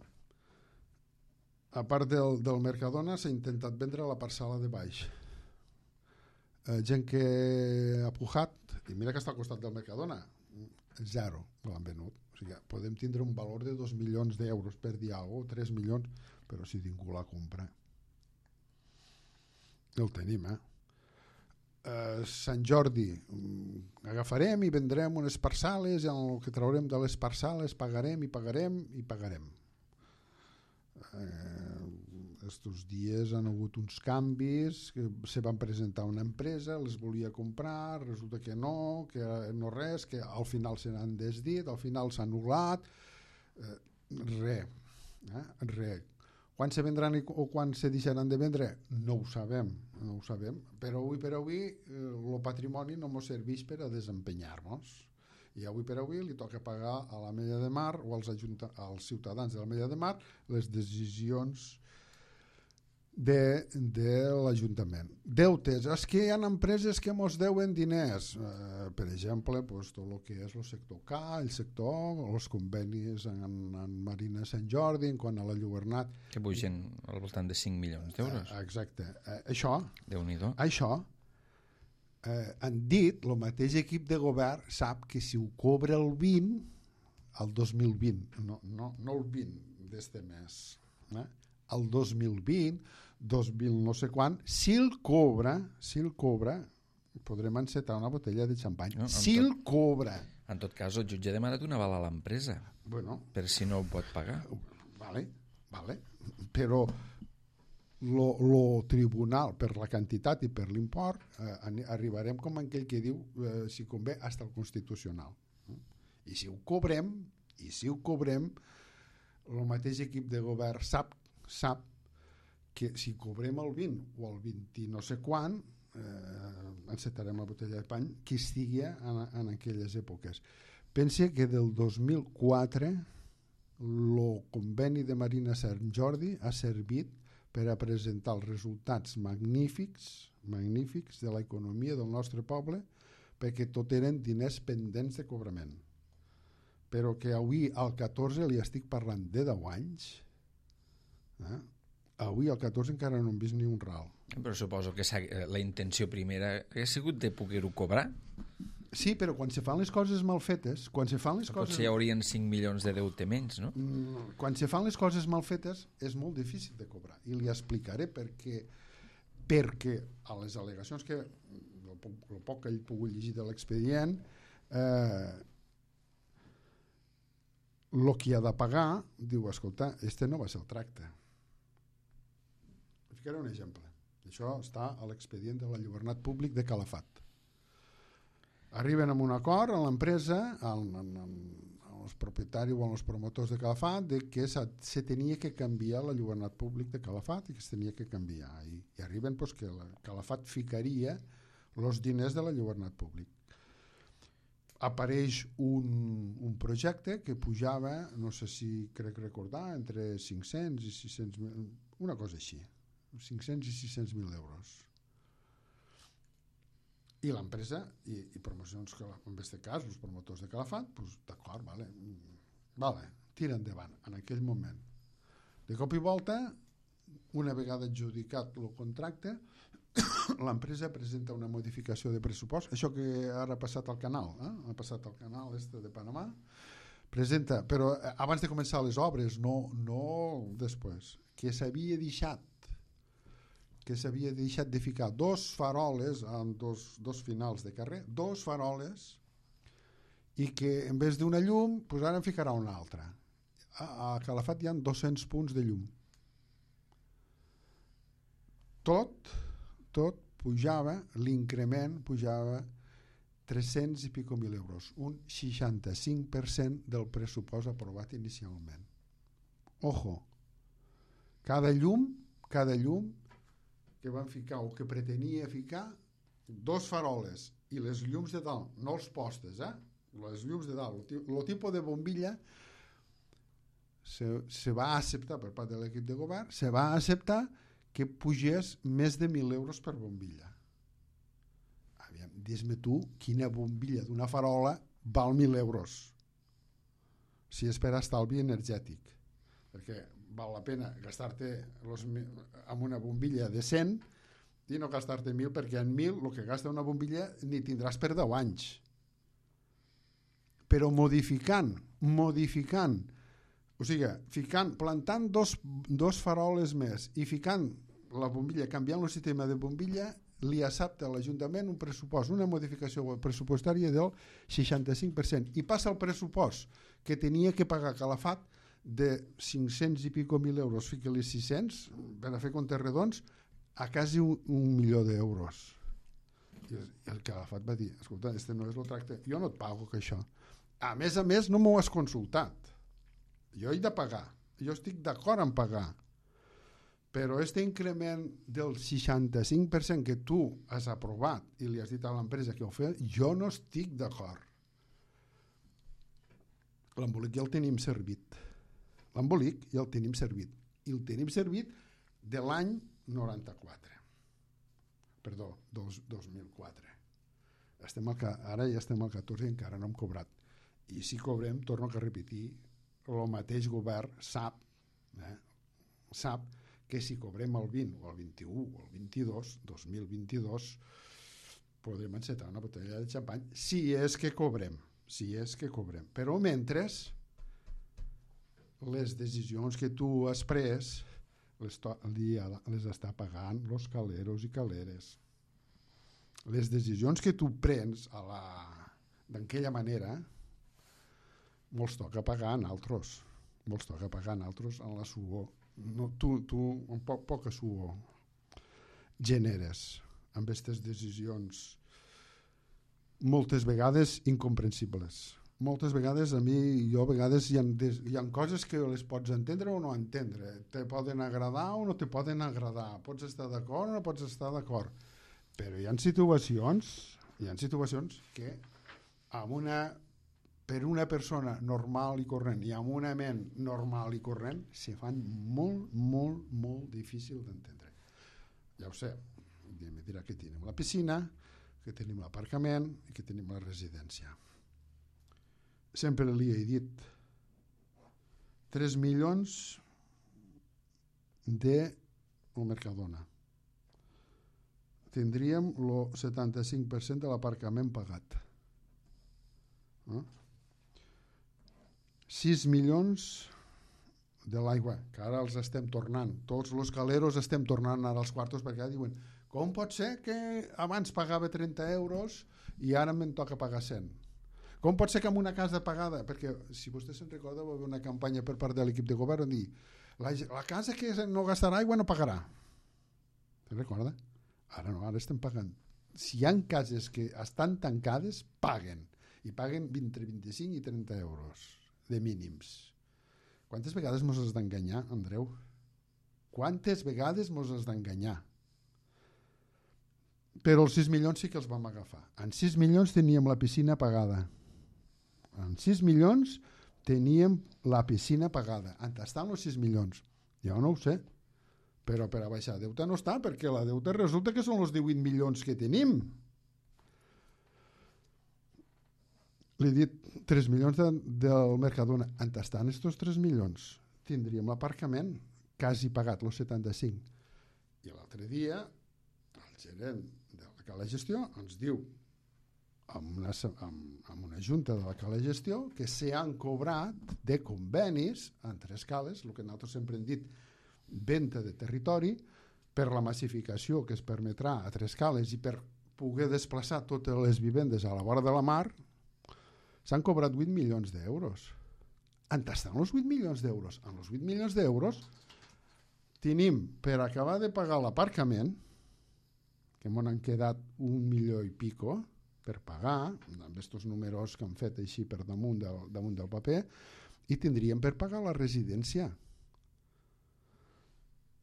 A part del Mercadona s'ha intentat vendre la parcel·la de baix. Gent que ha pujat, i mira que està al costat del Mercadona, 0 l'han venut. O sigui, podem tindre un valor de 2 milions d'euros per dir alguna cosa, 3 milions, però si ningú la compra. El tenim, Sant Jordi, agafarem i vendrem unes parcel·les i el que traurem de les parcel·les pagarem. Estos dies han hagut uns canvis, que se van presentar una empresa, les volia comprar, resulta que no res, que al final se n'han desdit, al final s'ha anul·lat, res. Quan se vendran o quan se deixaran de vendre? No ho sabem, però avui per avui el patrimoni no ens serveix per a desempenyar-nos. I avui per avui li toca pagar a l'Ametlla de Mar o als ciutadans de l'Ametlla de Mar les decisions de l'Ajuntament. Deutes, és que hi ha empreses que ens deuen diners, per exemple, tot el que és el sector K, el sector, els convenis en Marina Sant Jordi, en quant a la Llobernat. Que pugen al voltant de 5 milions d'euros. Exacte. Això, Déu-n'hi-do. Han dit, el mateix equip de govern sap que si ho cobra el 20, el 2020, no el 20 d'este mes, el 2020, 2000 no sé quan, si el cobra, podrem encetar una botella de xampany. No, el cobra. En tot cas, el jutge ha demanat una aval a l'empresa, per si no ho pot pagar. Vale. Però lo tribunal, per la quantitat i per l'import, arribarem com aquell que diu, si convé, fins al Constitucional. I si ho cobrem, el mateix equip de govern sap que si cobrem el 20 o el 20 no sé quan, encetarem la botella de pany que estigui en aquelles èpoques. Pense que del 2004 el conveni de Marina Sant Jordi ha servit per a presentar els resultats magnífics de l'economia del nostre poble, perquè tot eren diners pendents de cobrament. Però que avui al 14 li estic parlant de 10 anys, avui al 14 encara no hem vist ni un ral. Però suposo que la intenció primera ha sigut de poder-ho cobrar. Sí, però quan se fan les coses mal fetes, Potser hi haurien 5 milions de deute menys, no? Quan se fan les coses mal fetes és molt difícil de cobrar, i li explicaré perquè a les al·legacions que el poc que ell pogut llegir de l'expedient, el que ha de pagar, diu, escolta, este no va ser el tracte. Ficaré un exemple. Això està a l'expedient de l'enlluernat públic de Calafat. Arriben a un acord a l'empresa, als propietaris o als promotors de Calafat, de que se tenia que canviar l'enlluernat públic de Calafat i que es tenia que canviar. I arriben pues, que Calafat ficaria els diners de l'enlluernat públic. Apareix un projecte que pujava, no sé si crec recordar, entre 500 i 600.000, una cosa així, 500 i 600.000 euros. I l'empresa i promocions, en aquest cas, els promotors de Calafat, pues, d'acord, vale, tira endavant en aquell moment. De cop i volta, una vegada adjudicat el contracte, l'empresa presenta una modificació de pressupost, això que ara ha passat al canal, ha passat al canal de Panamà, presenta, però abans de començar les obres, no després, que s'havia deixat de ficar dos faroles en dos finals de carrer, dos faroles, i que en vez d'una llum, pues ara en ficarà una altra. A Calafat hi ha 200 punts de llum. Tot pujava, l'increment pujava 300 i pico mil euros, un 65% del pressupost aprovat inicialment. Ojo, cada llum que van ficar o que pretenia ficar, dos faroles i les llums de dalt, no els postes, les llums de dalt, el tipus de bombilla se va acceptar per part de l'equip de govern, se va acceptar que pugés més de 1.000 euros per bombilla. Aviam, dis-me tu quina bombilla d'una farola val 1.000 euros si és per estalvi energètic, perquè val la pena gastar-te amb una bombilla de 100 i no gastar-te 1.000, perquè en 1.000 el que gasta una bombilla ni tindràs per 10 anys. Però modificant, o sigui, plantant dos faroles més i ficant la bombilla, canviant el sistema de bombilla, li accepta a l'Ajuntament un pressupost, una modificació pressupostària del 65%, i passa el pressupost que tenia que pagar Calafat de 500 i pico mil euros, fica-li 600 per a fer comptes redons, a quasi 1.000.000 d'euros. I el Calafat va dir, escolta, este no és el tracte, jo no et pago que això. A més, no m'ho has consultat. Jo he de pagar, jo estic d'acord en pagar, però aquest increment del 65% que tu has aprovat i li has dit a l'empresa que ho fa, jo no estic d'acord. L'embolic ja el tenim servit. I el tenim servit de l'any 94. Perdó, 2004. Ara ja estem al 14 i encara no hem cobrat. I si cobrem, torno a repetir, el mateix govern sap que si cobrem el 20 o el 21 o el 22, 2022, podrem encetar una botella de xampany, si és que cobrem. Però mentre les decisions que tu has pres les està pagant els caleros i caleres. Les decisions que tu prens d'aquella manera molts toca pagar en altres. En la suor. No, tu amb poca suor generes amb aquestes decisions moltes vegades incomprensibles. Moltes vegades a vegades hi ha coses que les pots entendre o no entendre. Te poden agradar o no te poden agradar. Pots estar d'acord o no pots estar d'acord. Però hi ha situacions que per una persona normal i corrent i amb una ment normal i corrent se fan molt, molt, molt difícil d'entendre. Ja ho sé, em dirà que tenim la piscina, que tenim l'aparcament i que tenim la residència. Sempre li he dit 3 milions de Mercadona. Tindríem el 75% de l'aparcament pagat. 6 milions de l'aigua, que ara els estem tornant. Tots els caleros estem tornant ara als quartos perquè diuen, com pot ser que abans pagava 30 euros i ara me'n toca pagar 100? Com pot ser que en una casa pagada, perquè si vostè se'n recorda va haver una campanya per part de l'equip de govern on dir, la casa que no gastarà aigua no pagarà. Se'n recorda? Ara no, ara estem pagant. Si hi ha cases que estan tancades, paguen. I paguen entre 25 i 30 euros de mínims. Quantes vegades mos has d'enganyar, Andreu? Quantes vegades mos has d'enganyar? Però els 6 milions sí que els vam agafar. En 6 milions teníem la piscina pagada. En 6 milions teníem la piscina pagada. On estan els 6 milions? Jo no ho sé. Però per a baixar deute no està, perquè la deute resulta que són els 18 milions que tenim. Li he dit 3 milions del Mercadona. On estan estos 3 milions? Tindríem l'aparcament quasi pagat, els 75. I l'altre dia el gerent de la Cala Gestió ens diu amb una junta de la Cala Gestió que s'han cobrat de convenis en 3 cales, el que nosaltres sempre hem dit, venda de territori, per la massificació que es permetrà a 3 cales i per poder desplaçar totes les vivendes a la vora de la mar, s'han cobrat 8 milions d'euros. On estan els 8 milions d'euros? En els 8 milions d'euros tenim per acabar de pagar l'aparcament, que m'ho han quedat 1 milió i pico per pagar, amb aquests números que han fet així per damunt del paper, i tindríem per pagar la residència.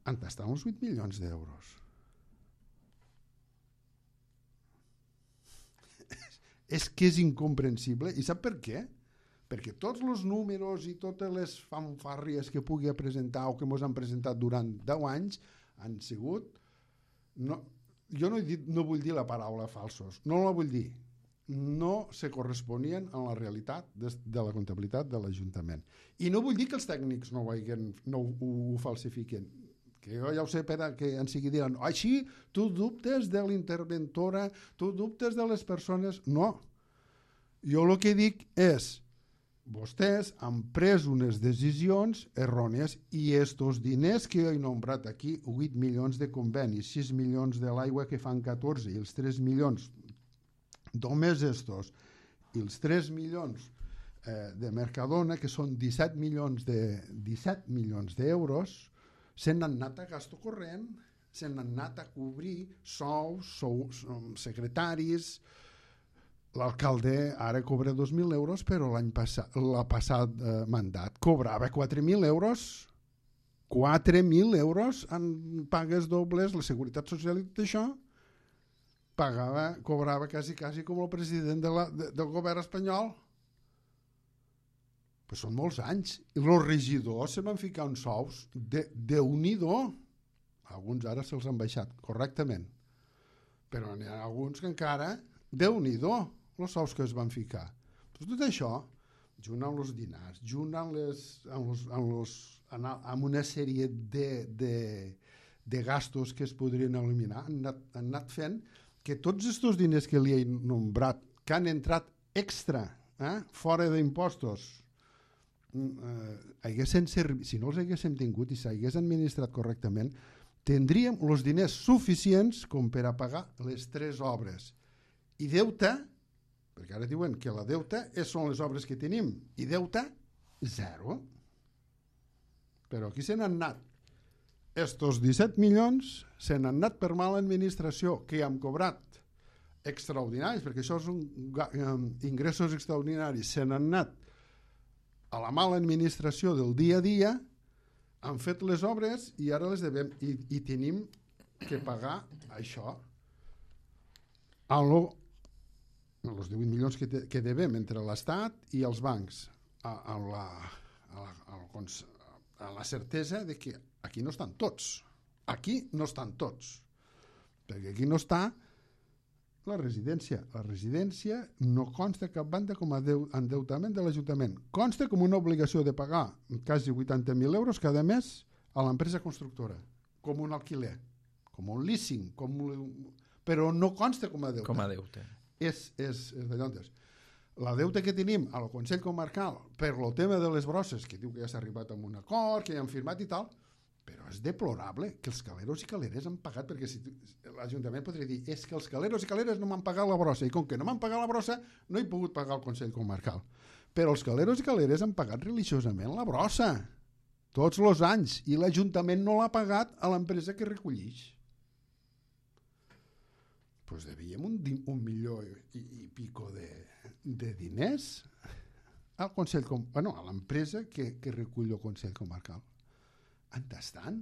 On estan els 8 milions d'euros? És que és incomprensible. I sap per què? Perquè tots els números i totes les fanfàrries que pugui presentar o que ens han presentat durant 10 anys han sigut... Jo no vull dir la paraula falsos, no la vull dir. No se corresponien amb la realitat de la comptabilitat de l'Ajuntament. I no vull dir que els tècnics no ho falsifiquen, que jo ja ho sé que en sigui diran, així tu dubtes de l'interventora, tu dubtes de les persones... No, jo el que dic és, vostès han pres unes decisions errònies i estos diners que he nombrat aquí, 8 milions de convenis, 6 milions de l'aigua que fan 14 i els 3 milions, només estos, i els 3 milions de Mercadona, que són 17 milions d'euros, se n'han anat a gasto corrent, se n'han anat a cobrir sous, secretaris. L'alcalde ara cobra 2.000 euros, però l'any passat, mandat, cobrava 4.000 euros. 4.000 euros en pagues dobles, la Seguretat Social i tot això, cobrava quasi com el president del govern espanyol. Però són molts anys. I els regidors se van ficar uns sous de Déu-n'hi-do. Alguns ara se'ls han baixat, correctament. Però n'hi ha alguns que encara, Déu-n'hi-do, els sous que es van ficar. Però tot això, junt amb els dinars, junt amb una sèrie de gastos que es podrien eliminar, han anat fent que tots aquests diners que li he nombrat, que han entrat extra, fora d'impostos, si no els haguéssim tingut i s'hagués administrat correctament, tindríem els diners suficients com per a pagar les 3 obres. I deute, perquè ara diuen que la deute són les obres que tenim, i deute, 0. Però aquí se n'han anat. Estos 17 milions se n'han anat per mala administració, que hem cobrat extraordinaris, perquè això són ingressos extraordinaris, se n'han anat a la mala administració del dia a dia, han fet les obres i ara les devem, i tenim que pagar això. Els 18 milions que devem entre l'Estat i els bancs, a la certesa de que aquí no estan tots. Aquí no estan tots. Perquè aquí no està la residència. La residència no consta cap banda com a endeutament de l'Ajuntament. Consta com una obligació de pagar quasi 80.000 euros cada mes a l'empresa constructora, com un alquiler, com un leasing, però no consta com a deute. Com a deute. És de llontes. la deuta que tenim al Consell Comarcal per el tema de les brosses, que diu que ja s'ha arribat a un acord, que ja han firmat i tal, però és deplorable que els caleros i caleres han pagat, perquè si l'Ajuntament podria dir és que els caleros i caleres no m'han pagat la brossa, i com que no m'han pagat la brossa no he pogut pagar el Consell Comarcal. Però els caleros i caleres han pagat religiosament la brossa tots els anys, i l'Ajuntament no l'ha pagat a l'empresa que recollix. Doncs devíem un milió i pico de diners al Consell Comarcal, a l'empresa que recull el Consell Comarcal. Entestant?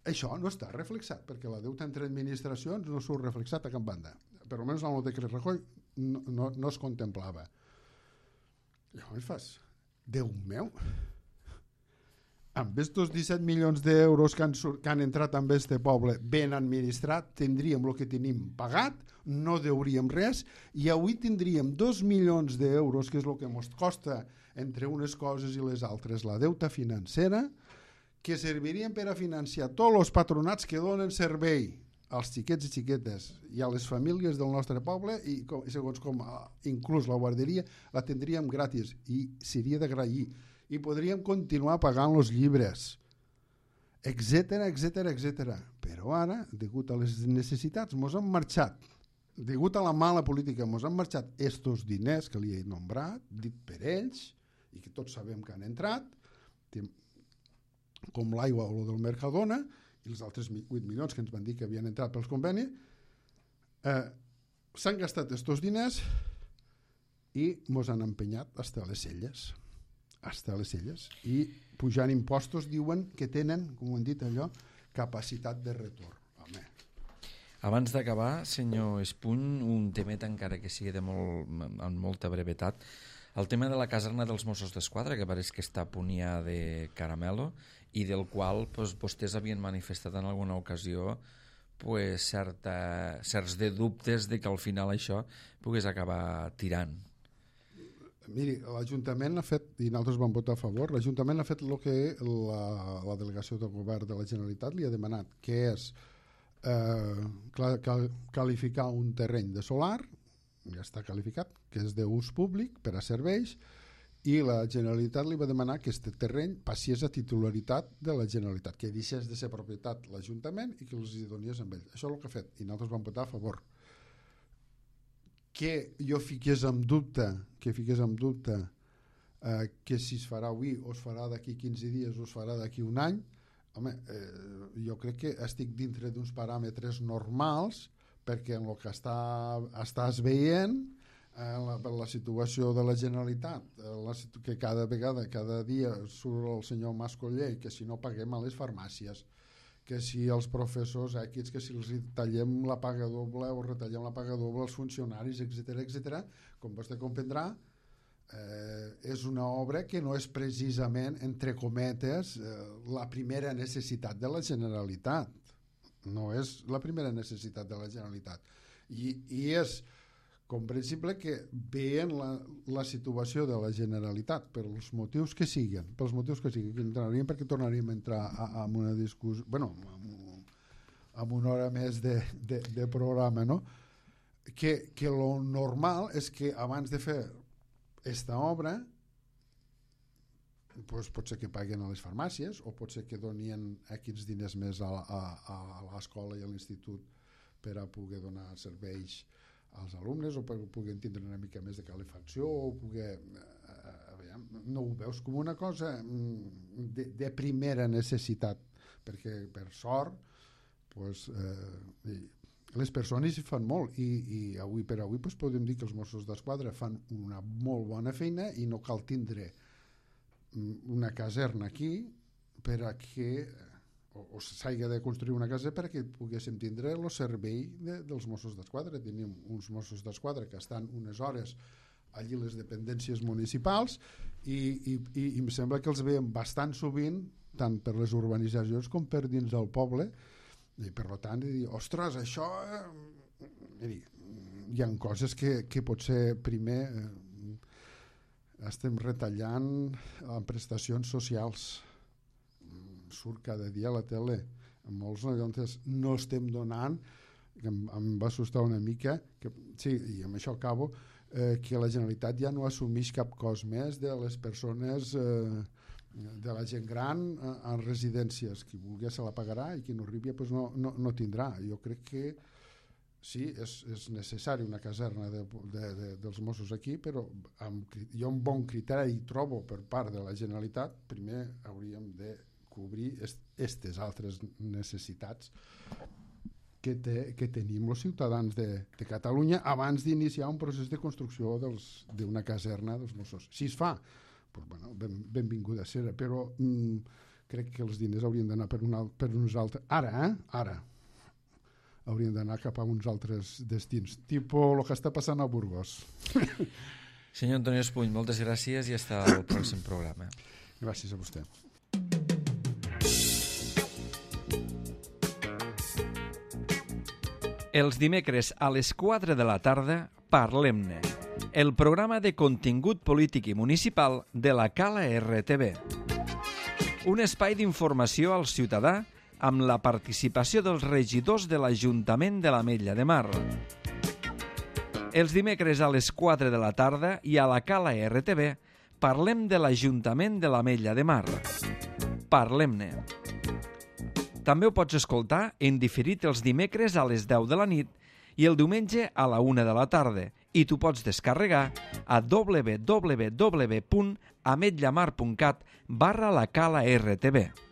Això no està reflexat, perquè la deuta entre administracions no surt reflexat a cap banda. Per almenys en el decret Rajoy no es contemplava. Llavors fas, Déu meu, amb estos 17 milions d'euros que han entrat en este poble ben administrat, tindríem el que tenim pagat, no deuríem res, i avui tindríem 2 milions d'euros, que és el que ens costa entre unes coses i les altres la deuta financera, que servirien per a financiar tots els patronats que donen servei als xiquets i xiquetes i a les famílies del nostre poble, i segons com inclús la guarderia la tindríem gratis i seria d'agrair, i podríem continuar pagant els llibres, etcètera. Però ara, degut a les necessitats, mos han marxat, degut a la mala política, mos han marxat estos diners que li he nombrat, dit per ells, i que tots sabem que han entrat, com l'aigua o el del Mercadona, i els altres 8 milions que ens van dir que havien entrat pels convenis, s'han gastat estos diners i mos han empenyat hasta les celles. I pujant impostos diuen que tenen, com ho han dit allò, capacitat de retorn. Home. Abans d'acabar, senyor Espuny, un temet encara que sigui amb molta brevetat, el tema de la caserna dels Mossos d'Esquadra, que pareix que està a punt ja de caramelo, i del qual vostès havien manifestat en alguna ocasió certs de dubtes de que al final això pogués acabar tirant. Miri, l'Ajuntament ha fet, i nosaltres vam votar a favor, l'Ajuntament ha fet el que la delegació del govern de la Generalitat li ha demanat, que és qualificar un terreny de solar, ja està qualificat, que és d'ús públic per a serveis, i la Generalitat li va demanar que aquest terreny passés a titularitat de la Generalitat, que deixés de ser propietat l'Ajuntament i que els hi donés amb ell. Això és el que ha fet, i nosaltres vam votar a favor. Que jo fiqués en dubte que si es farà avui o es farà d'aquí 15 dies o es farà d'aquí un any, home, jo crec que estic dintre d'uns paràmetres normals, perquè en el que estàs veient la situació de la Generalitat, que cada dia surt el senyor Mascolell, que si no paguem a les farmàcies, que si els professors equips, que si els tallem la paga doble o retallem la paga doble als funcionaris, etcètera, com vostè comprendrà, és una obra que no és precisament, entre cometes, la primera necessitat de la Generalitat. No és la primera necessitat de la Generalitat. I és comprensible que veient la situació de la Generalitat pels motius que siguin, perquè tornaríem a entrar en una discussió, en una hora més de programa, no? Que lo normal és que abans de fer esta obra pot ser que paguen a les farmàcies o pot ser que donien aquests diners més a l'escola i a l'institut per a poder donar serveis als alumnes o per poder tindre una mica més de calefacció o poder... no ho veus com una cosa de primera necessitat, perquè per sort les persones hi fan molt i avui per avui podem dir que els Mossos d'Esquadra fan una molt bona feina i no cal tindre una caserna aquí per a que o s'hagi de construir una casa perquè poguéssim tindre el servei dels Mossos d'Esquadra. Tenim uns Mossos d'Esquadra que estan unes hores allí les dependències municipals i em sembla que els veiem bastant sovint tant per les urbanitzacions com per dins del poble i per tant ostres, això miri, hi ha coses que potser primer estem retallant en prestacions socials, surt cada dia a la tele, molts no estem donant, que em va assustar una mica, sí, i amb això acabo, que la Generalitat ja no assumeix cap cost més de les persones, de la gent gran en residències. Qui vulgui se la pagarà i qui no arribi pues no tindrà. Jo crec que sí, és necessari una caserna dels Mossos aquí, però jo un bon criteri trobo per part de la Generalitat. Primer hauríem de cobrir aquestes altres necessitats que tenim els ciutadans de Catalunya abans d'iniciar un procés de construcció d'una caserna dels Mossos. Si es fa, doncs, bueno, benvinguda serà, però crec que els diners haurien d'anar per uns altres... Ara haurien d'anar cap a uns altres destins, tipus el que està passant a Burgos. Senyor Antoni Espuny, moltes gràcies i fins al pròxim programa. Gràcies a vostè. Els dimecres a les 4 de la tarda, Parlem-ne, el programa de contingut polític i municipal de la Cala RTV. Un espai d'informació al ciutadà amb la participació dels regidors de l'Ajuntament de l'Ametlla de Mar. Els dimecres a les 4 de la tarda i a la Cala RTV parlem de l'Ajuntament de l'Ametlla de Mar. Parlem-ne. També ho pots escoltar en diferit els dimecres a les 10 de la nit i el diumenge a la 1 de la tarda i t'ho pots descarregar a www.ametllamar.cat/la Cala RTV.